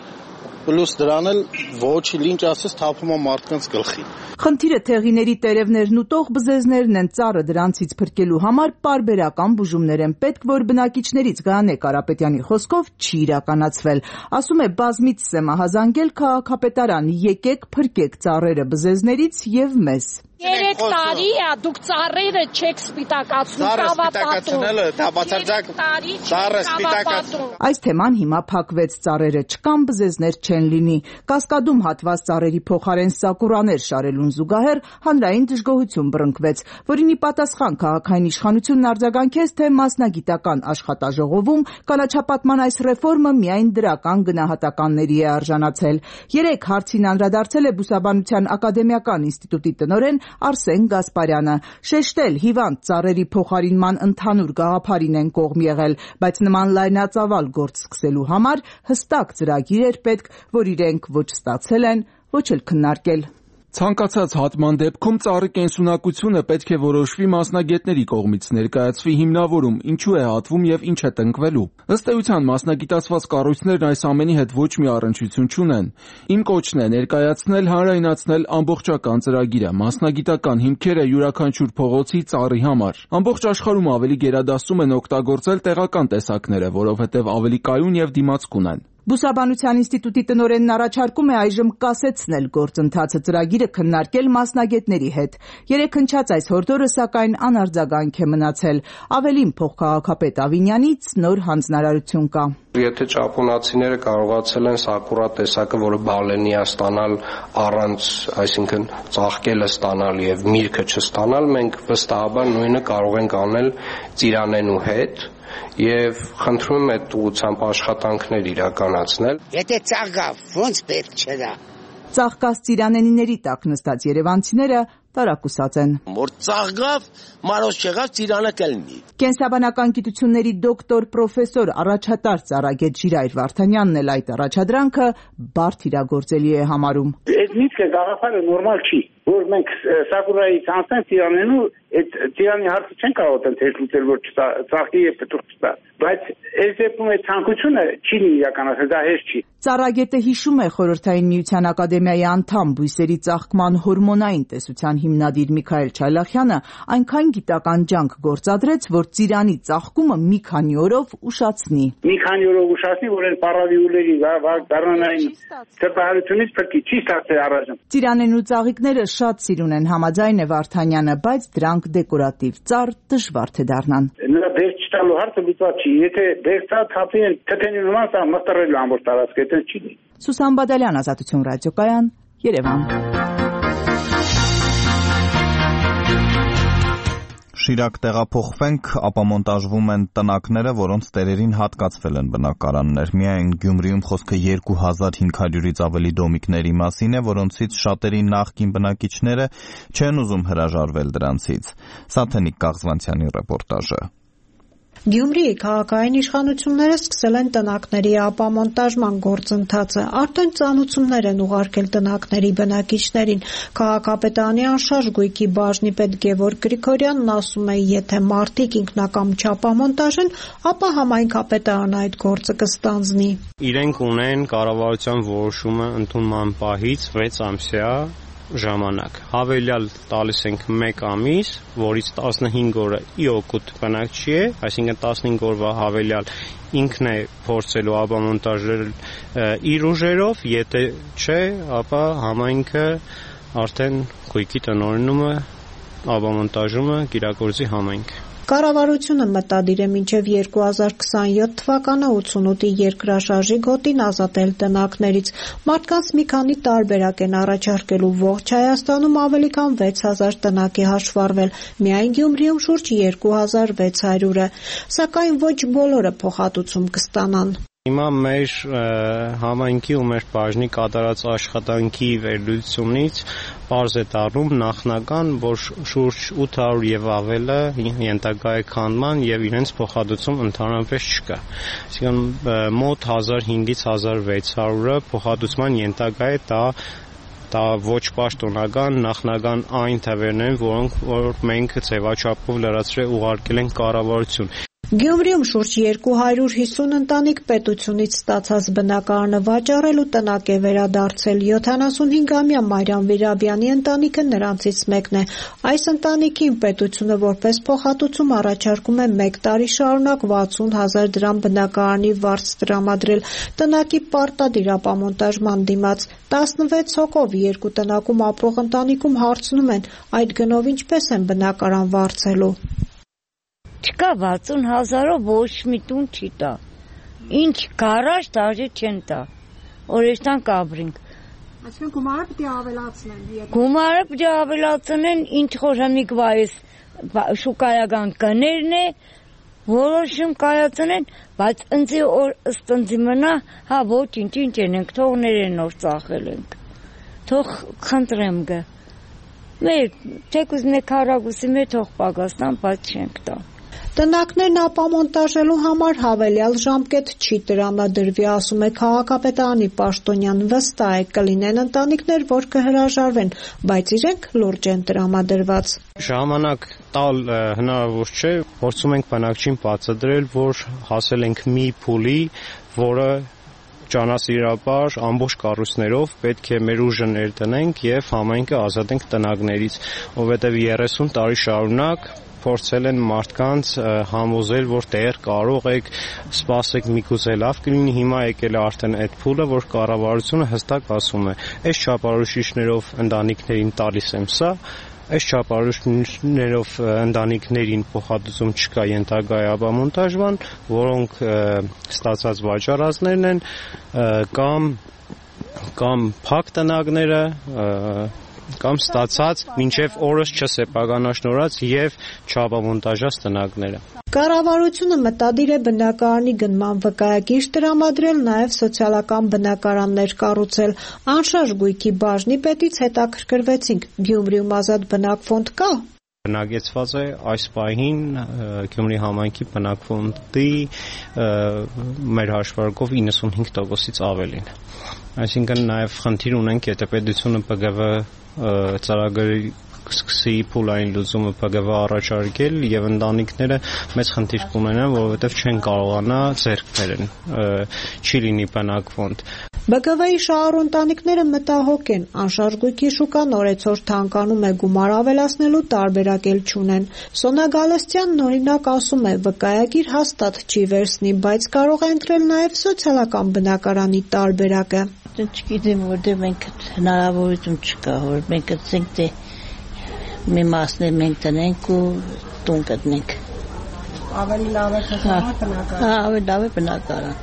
Պլյուս դրան էլ ոչ ինչ ասես թափում է մարդկանց գլխին։ Խնդիրը թեղիների տերևներն ուտող բզեզներն են, ծառը դրանցից փրկելու համար պարբերական բուժումներ են պետք, որ բնակիչներից Գայանե Կարապետյանի խոսքով չի իրականացվել։ Ասում է բազմիցս է մահազանգել քաղաքապետարան, եկեք փրկեք ծառերը բզեզներից եւ մեզ։ 3 տարի է դուք ծառերը չեք սպիտակացնում, տավապատում։ Այս թեման հիմա փակվեց, ծառերը չկան, բզեզներ չեն լինի։ Կասկադում հատված ծառերի փոխարեն սակուրաներ շարելուն զուգահեռ հանրային դժգոհություն բռնկվեց, որին ի պատասխան քաղաքային իշխանությունն արձագանքեց, թե մասնագիտական աշխատաժողովում կանաչապատման այս ռեֆորմը միայն դրական գնահատականների է արժանացել։ 3 հարցին անդրադարձել է Բուսաբանության ակադեմիական ինստիտուտի տնօրեն Արսեն Գասպարյանը, շեշտել հիվանդ ծառերի փոխարինման ընդհանուր գաղափարին են կողմ եղել, բայց նման լայնածավալ գործ սկսելու համար հստակ ծրագիր էր պետք, որ իրենք ոչ ստացել են, ոչ էլ քննարկել։ Ցանկացած հատման դեպքում ծառի կենսունակությունը պետք է որոշվի մասնագետների կողմից, ներկայացվի հիմնավորում, ինչու է հատվում եւ ինչ է տնկվելու։ Ըստ էության մասնագիտացված կառույցներն այս ամենի հետ ոչ մի առնչություն չունեն։ Իմ կոչն է ներկայացնել, հանրայնացնել ամբողջական ծրագիրը, մասնագիտական հիմքերը յուրաքանչյուր փողոցի ծառի համար։ Ամբողջ աշխարհում ավելի գերադասում են օգտագործել տեղական տեսակները, որովհետեւ ավելի կայուն եւ դիմացկուն են։ Բուսաբանության ինստիտուտի տնօրենն առաջարկում է այժմ կասեցնել գործընթացը, ծրագիրը քննարկել մասնագետների հետ։ 3 հնչած այս հորդորը սակայն անարձագանք է մնացել։ Ավելին փոխքաղաքապետ Ավինյանից նոր հանձնարարություն կա։ Եթե ճապոնացիները կարողացել են սակուրա տեսակը, որը բալենի է ստանալ առանց, այսինքն ծաղկելը ստանալ եւ միրգը չստանալ, մենք վստահաբար նույնը կարող ենք անել ծիրանենու հետ եւ խնդրում եմ այդ ուղղությամբ աշխատանքներ իրականացնել։ Եթե ծաղկավ, ոնց պետք չէ։ Ծաղկած ծիրանենիների տակ նստած երևանցիները տարակուսած են։ Որ ծաղկավ, մարոց չեղավ, ծիրանը կլինի։ Կենսաբանական գիտությունների դոկտոր պրոֆեսոր առաջատար ծառագետ Ժիրայր Վարդանյանն էլ այդ առաջադրանքը բարդ իրագործելի է համարում։ Այդ միտքը գաղափարը նորմալ չի, որ մենք սակուրայից անցնենք ծիրանենու, այդ ծիրանի հարցը չեն կարող ընթերց լուծել, որ ծաղկի եւ պտուղ չտա։ Բայց այս դեպքում այդ ցանկությունը չի իրականացել, դա հեշտ չի։ Ծառագետը հիշում է Խորհրդային Միության ակադեմիայի անդամ բույսերի ծաղկման հորմոնային տեսության հիմնադիր Միքայել Չայլախյանը այնքան գիտական ջանք գործադրեց, որ ծիրանի ծաղկումը մի քանի օրով ուշացնի։ Մի քանի օրով ուշացնի, որ այն պարավիուլերի գարնանային ծրտահարությունից փրկի, չի ստացել առայժմ։ Ծիրանենու ծաղիկները շատ սիրուն են, համաձայն է Վարդանյանը, բայց դրանք դեկորատիվ ծառ դժվար թե դառնան։ Նրա բերք չտալու հարցը լուծված չի։ Եթե բերքա թափի են թթենի նման, սա մտռելու ամբողջ տարածքը, դա չի դի։ Սուսան Բադալյան, Ազատություն ռադիոկայան, Երևան։ Շիրակ տեղափոխվենք, ապա մոնտաժվում են տնակները, որոնց տերերին հատկացվել են բնակարաններ։ Միայն Գյումրիում խոսքը 2500-ից ավելի դոմիկների մասին է, որոնցից շատերի նախկին բնակիչները չեն ուզում հրաժարվել դրանցից։ Սաթենիկ Կաղզվանցյանի ռեպորտաժը։ Գյումրիի քաղաքային իշխանությունները սկսել են տնակների ապամոնտաժման գործընթացը, արդեն ծանուցումներ են ուղարկել տնակների բնակիչներին։ Քաղաքապետարանի անշարժ գույքի բաժնի պետ Գևորգ Գրիգորյանն ասում է, եթե մարդիկ ինքնակամ չապամոնտաժեն, ապա համայնքապետարանը այդ գործը կստանձնի։ Իրենք ունեն կառավարության որոշումը ընդունման պահից 6 ամսյա ժամանակ։ Հավելյալ տալիս ենք 1 ամիս, որից 15 օրը ի օգուտ բնակչի է, այսինքն 15 օրվա հավելյալ ինքն է փորձելու ապամոնտաժել իր ուժերով, եթե չէ, ապա համայնքը արդեն գույքի տնօրինումը ապամոնտաժումը կիրագործի համայնքը։ Կառավարությունը մտադիր է մինչև 2027 թվականը 88-ի երկրաշարժի գոտին ազատել տնակներից։ Մարդկանց մի քանի տարբերակ են առաջարկելու, ողջ Հայաստանում ավելի քան 6000 տնակ է հաշվառվել, միայն Գյումրիում շուրջ 2600 է, սակայն ոչ բոլորը փոխհատուցում կստանան։ Հիմա մեր համայնքի ու մեր բաժնի կատարած աշխատանքի վերլուծությունից պարզ է դառնում նախնական, որ շուրջ 800 եւ ավելը ենթակա է քանդման եւ իրենց փոխհատուցում ընդհանրապես չկա։ Այսինքն մոտ 1500-ից 1600-ը փոխհատուցման ենթակա է, դա ոչ պաշտոնական նախնական այն թվերն են, որոնք մենք ձևաչափով լրացրել ուղարկել ենք կառավարություն։ Գյումրիում շուրջ 250 ընտանիք պետությունից ստացած բնակարանը վաճառելու տնակ է վերադարձել։ 75-ամյա Մարիամ Վիրաբյանի ընտանիքը նրանցից մեկն է։ Այս ընտանիքին պետությունը որպես փոխհատուցում առաջարկում է 1 տարի շարունակ 60,000 դրամ բնակարանի վարձ տրամադրել տնակի պարտադիր ապամոնտաժման դիմաց։ 16 հոգով 2 տնակում ապրող ընտանիքում հարցնում են, այդ գնով ինչպես են բնակարան վարձելու։ Չկա 60,000-ով ոչ մի տուն չի տա։ Ինչ գարաժ դաժե չեն տա։ Օրեստան կաբրինք։ Այսինքն գումարը պիտի ավելացնեն։ Գումարը պիտի ավելացնեն, ինչ խորհամիկ վայս շուկայական կներն է, որոշում կայացնեն, բայց ընձի օր ըստ ընձի մնա, հա ոչինչ, ինչ ենք, թող ներեն օր ծախել ենք։ Թող խնդրեմ գը։ Մեր թեկուզ մեկ հարագուսի մեր թող պագաստան, բայց չենք տա։ Տնակներն ապամոնտաժելու համար հավելյալ ժամկետ չի տրամադրվի, ասում է քաղաքապետարանի պաշտոնյան, վստահ է կլինեն ընտանիքներ, որ կհրաժարվեն, բայց իրենք լուրջ են տրամադրված։ Ժամանակ տալ հնարավոր չէ, փորձում ենք բնակչին բացատրել, որ հասել ենք մի փուլի, որը ճանասիրաբար ամբողջ կառույցներով պետք է մեր ուժը ներդնենք եւ համայնքը ազատենք տնակներից, որովհետեւ 30 տարի շարունակ փորձել են մարդկանց համոզել, որ դեռ կարող եք սպասեք միգուցե լավ կլինի, հիմա եկել է արդեն այդ փուլը, որ կառավարությունը հստակ ասում է, այս չափորոշիչներով ընտանիքներին տալիս եմ սա, այս չափորոշիչներով ընտանիքներին փոխհատուցում չկա ենթակա ապամոնտաժման, որոնք ստացած վաճառածներն են կամ փակ տնակները կամ ստացած մինչև օրս չսեպականաշնորհած եւ չապամոնտաժած տնակները։ Կառավարությունը մտադիր է բնակարանի գնման վկայագիր տրամադրել, նաեւ սոցիալական բնակարաններ կառուցել։ Անշարժ գույքի բաժնի պետից հետաքրքրվեցինք, Գյումրիում ազատ բնակֆոնդ կա։ Բնակեցված է այս պահին Գյումրի համայնքի բնակֆոնդի մեր հաշվարկով 95%-ից ավելին։ Այսինքն նաև խնդիր ունենք, եթե պետությունը ՊԳՎ ծրագրի սկսի փուլային լուծումը ՊԳՎ առաջարկել եւ ընտանիքները մեծ խնդիր կունենան, որովհետեւ չեն կարողանա ձեռք բերեն, չի լինի բնակֆոնդ։ ԲԿՎ-ի շահառու ընտանիքները մտահոգ են, անշարժ գույքի շուկան օրեցօր թանկանում է, գումար ավելացնելու տարբերակ էլ չունեն։ Սոնա Գալստյանն օրինակ ասում է, վկայագիր հաստատ չի վերցնի, բայց կարող է ընտրել նաև սոցիալական բնակարանի տարբերակը։ Չգիտեմ, որտեղ մենք հնարավորություն չկա, որ մենք ասենք թե մի մասներ մենք տնենք ու տուն գտնենք։ Ավելի լավ է բնակարան։ Ավելի լավ է բնակարան։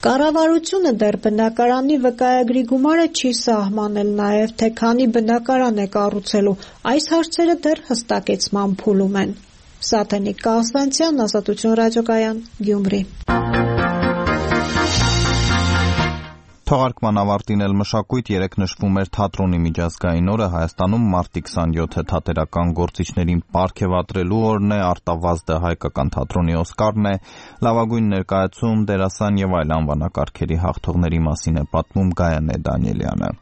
Կառավարությունը դեռ բնակարանի վկայագրի գումարը չի սահմանել, նաև թե քանի բնակարան է կառուցելու, այս հարցերը դեռ հստակեցման փուլում են։ Սաթենիկ Կասվանցյան, Ազատություն ռադիոկայան, Գյումրի։ Թողարկման ավարտին էլ մշակույթ երեկ նշվում էր թատրոնի միջազգային օրը, Հայաստանում մարտի 27-ը թատերական գործիչներին պարգևատրելու օրն է, Արտավազդը հայկական թատրոնի Օսկարն է, լավագույն ներկայացում, դերասան եւ այլ անվանակարգերի հաղթողների մասին է պատմում Գայանե Դանիելյանը։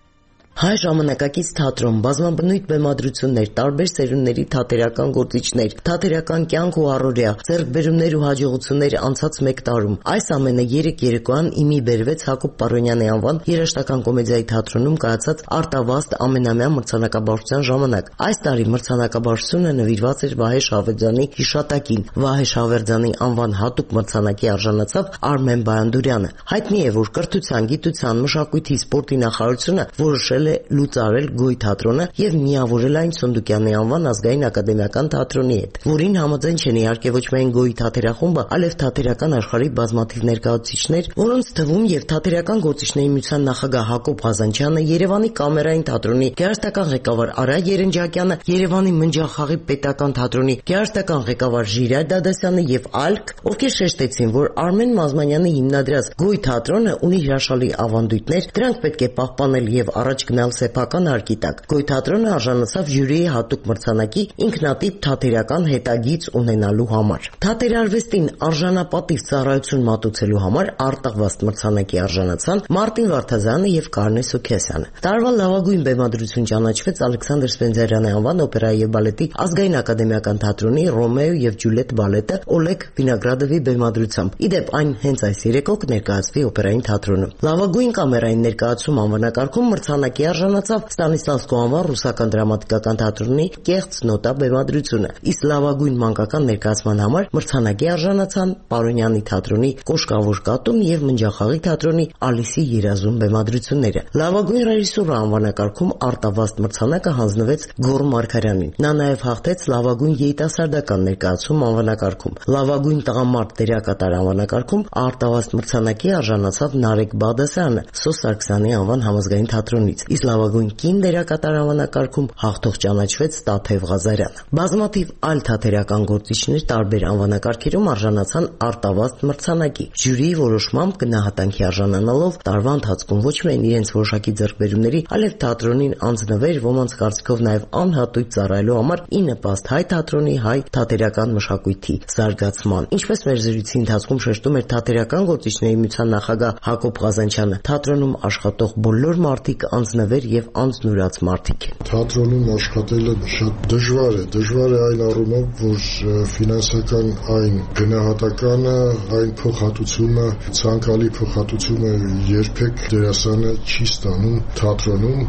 Հայ ժամանակակից թատրոն, բազմաբնույթ բեմադրություններ, տարբեր սերունդների թատերական գործիչներ, թատերական կյանք ու առօրյա, ձեռքբերումներ ու հաջողություններ անցած 1 տարում։ Այս ամենը 3 երեկոյան իմի բերվեց Հակոբ Պարոնյանի անվան երաժշտական կոմեդիայի թատրոնում կայացած Արտավազդ ամենամյա մրցանակաբաշխության ժամանակ։ Այս տարի մրցանակաբաշխությունը նվիրված էր Վահե Շավերդյանի հիշատակին։ Վահե Շավերդյանի անվան հատուկ մրցանակի արժանացավ Արմեն Բայանդուրյանը։ Հայտնի է, որ կրթության, գիտության, մշակույթի, սպորտի նախարարությունը որոշել է լուծարել Գոյ թատրոնը եւ միավորել այն Սունդուկյանի անվան ազգային ակադեմիական թատրոնի հետ, որին համաձայն չեն իհարկե ոչ միայն Գոյի թատերախումբը, այլև թատերական աշխարհի բազմաթիվ ներկայացուցիչներ, որոնց թվում եւ թատերական գործիչների միության նախագահ Հակոբ Ղազանչյանը, Երևանի կամերային թատրոնի գեղարվեստական ղեկավար Արա Երնջակյանը, Երևանի Մնջախաղի պետական թատրոնի գեղարվեստական ղեկավար Ժիրայր Դադասյանը եւ այլք, ովքեր շեշտեցին, որ Արմեն Մազմանյանի հիմնադրած Գոյ թատրոնը ունի հրաշալի ավանդույթներ, դրանք պետք է պահպանել եւ առաջ գտնալ սեփական հարկի տակ։ Գոյ թատրոնը արժանացավ ժյուրիի հատուկ մրցանակի ինքնատիպ թատերական հետագիծ ունենալու համար։ Թատերարվեստին արժանապատիվ ծառայություն մատուցելու համար արտահվաստ մրցանակի արժանացան Մարտին Վարդազյանը եւ Կարնե Սուքեսյանը։ Տարվա լավագույն բեմադրություն ճանաչվեց Ալեքսանդր Սպենդիարյանի անվան օպերայի եւ բալետի ազգային ակադեմիական թատրոնի Ռոմեո եւ Ջուլիետ բալետը Օլեգ Վինոգրադովի բեմադրությամբ։ Իդեպ այն հենց այս երեկո կներկայացվի օպերային թատրոնում։ Լավագույն կամերային ներկայացում անվանակարգում մրցանակի արժանացավ Ստանիսլավսկու անվան ռուսական դրամատիկական թատրոնի Կեղծ նոտա բեմադրությունը, իսկ լավագույն մանկական ներկայացման համար մրցանակի արժանացան Պարոնյանի թատրոնի Կոշկավոր կատուն եւ Մնջախաղի թատրոնի Ալիսի երազում բեմադրությունները։ Լավագույն ռեժիսուրա անվանակարգում արտավաստ մրցանակը հանձնվեց Գոռ Մարգարյանին։ Նա նաեւ հաղթեց լավագույն երիտասարդական ներկայացում անվանակարգում։ Լավագույն տղամարդ դերակատար անվանակարգում արտավաստ մրցանակի արժանացավ Նարեկ Բաղդասարյանը Սոս Սարգսյանի անվան համազգային թատրոնից, իսկ լավագույն կին դերակատար անվանակարգում հաղթող ճանաչվեց Տաթև Ղազարյանը։ Բազմաթիվ այլ թատերական գործիչներ տարբեր անվանակարգերում արժանացան արտավաստ մրցանակի։ Ժյուրիի որոշմամբ գնահատանքի արժանանալով տարվա ընթացքում ոչ միայն իրենց որոշակի ձեռքբերումների, այլև թատրոնին անձնվեր, ոմանց կարծիքով նաև անհատույց ծառայելու համար ի նպաստ հայ թատրոնի, հայ թատերական մշակույթի զարգացման։ Ինչպես մեր զրույցի ընթացքում շեշտում էր թատերական գործիչների միության նախագահ Հակոբ Ղազանչյանը, թատրոնում աշխատող բոլոր մարդիկ անձնվեր եւ անձնուրաց մարդիկ են։ Թատրոնում աշխատելը շատ դժվար է այն առումով, որ ֆինանսական այն գնահատականը, այն փոխհատուցումը, ցանկալի փոխհատուցումը երբեք դերասանը չի ստանում թատրոնում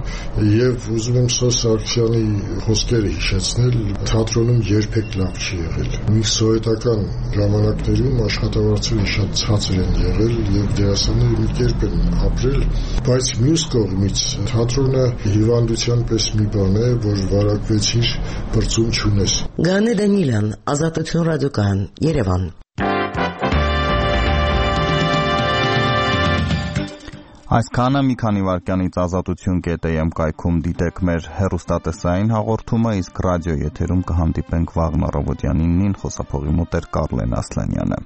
եւ ուզում եմ Սոս Սարգսյանի խոսքերը հիշեցնել, թատրոնում երբեք լավ չի եղել։ Մի սովետական ժամանակներում աշխատավարձերը շատ ցածր են եղել եւ դերասանները մի կերպ են ապրել, բայց մյուս կողմից թատրոնը հիվանդության պես մի բան է, որ վարակվեցիր, բրծում չունես։ Գանե Դանիելյան, Ազատություն ռադիոկայան, Երևան։ Այսքանը մի քանի վայրկյանից ազատություն.am կայքում դիտեք մեր հեռուստատեսային հաղորդումը, իսկ ռադիո եթերում կհանդիպենք վաղն առավոտյան 9-ին, խոսափողի մոտ էր Կարլեն Ասլանյանը։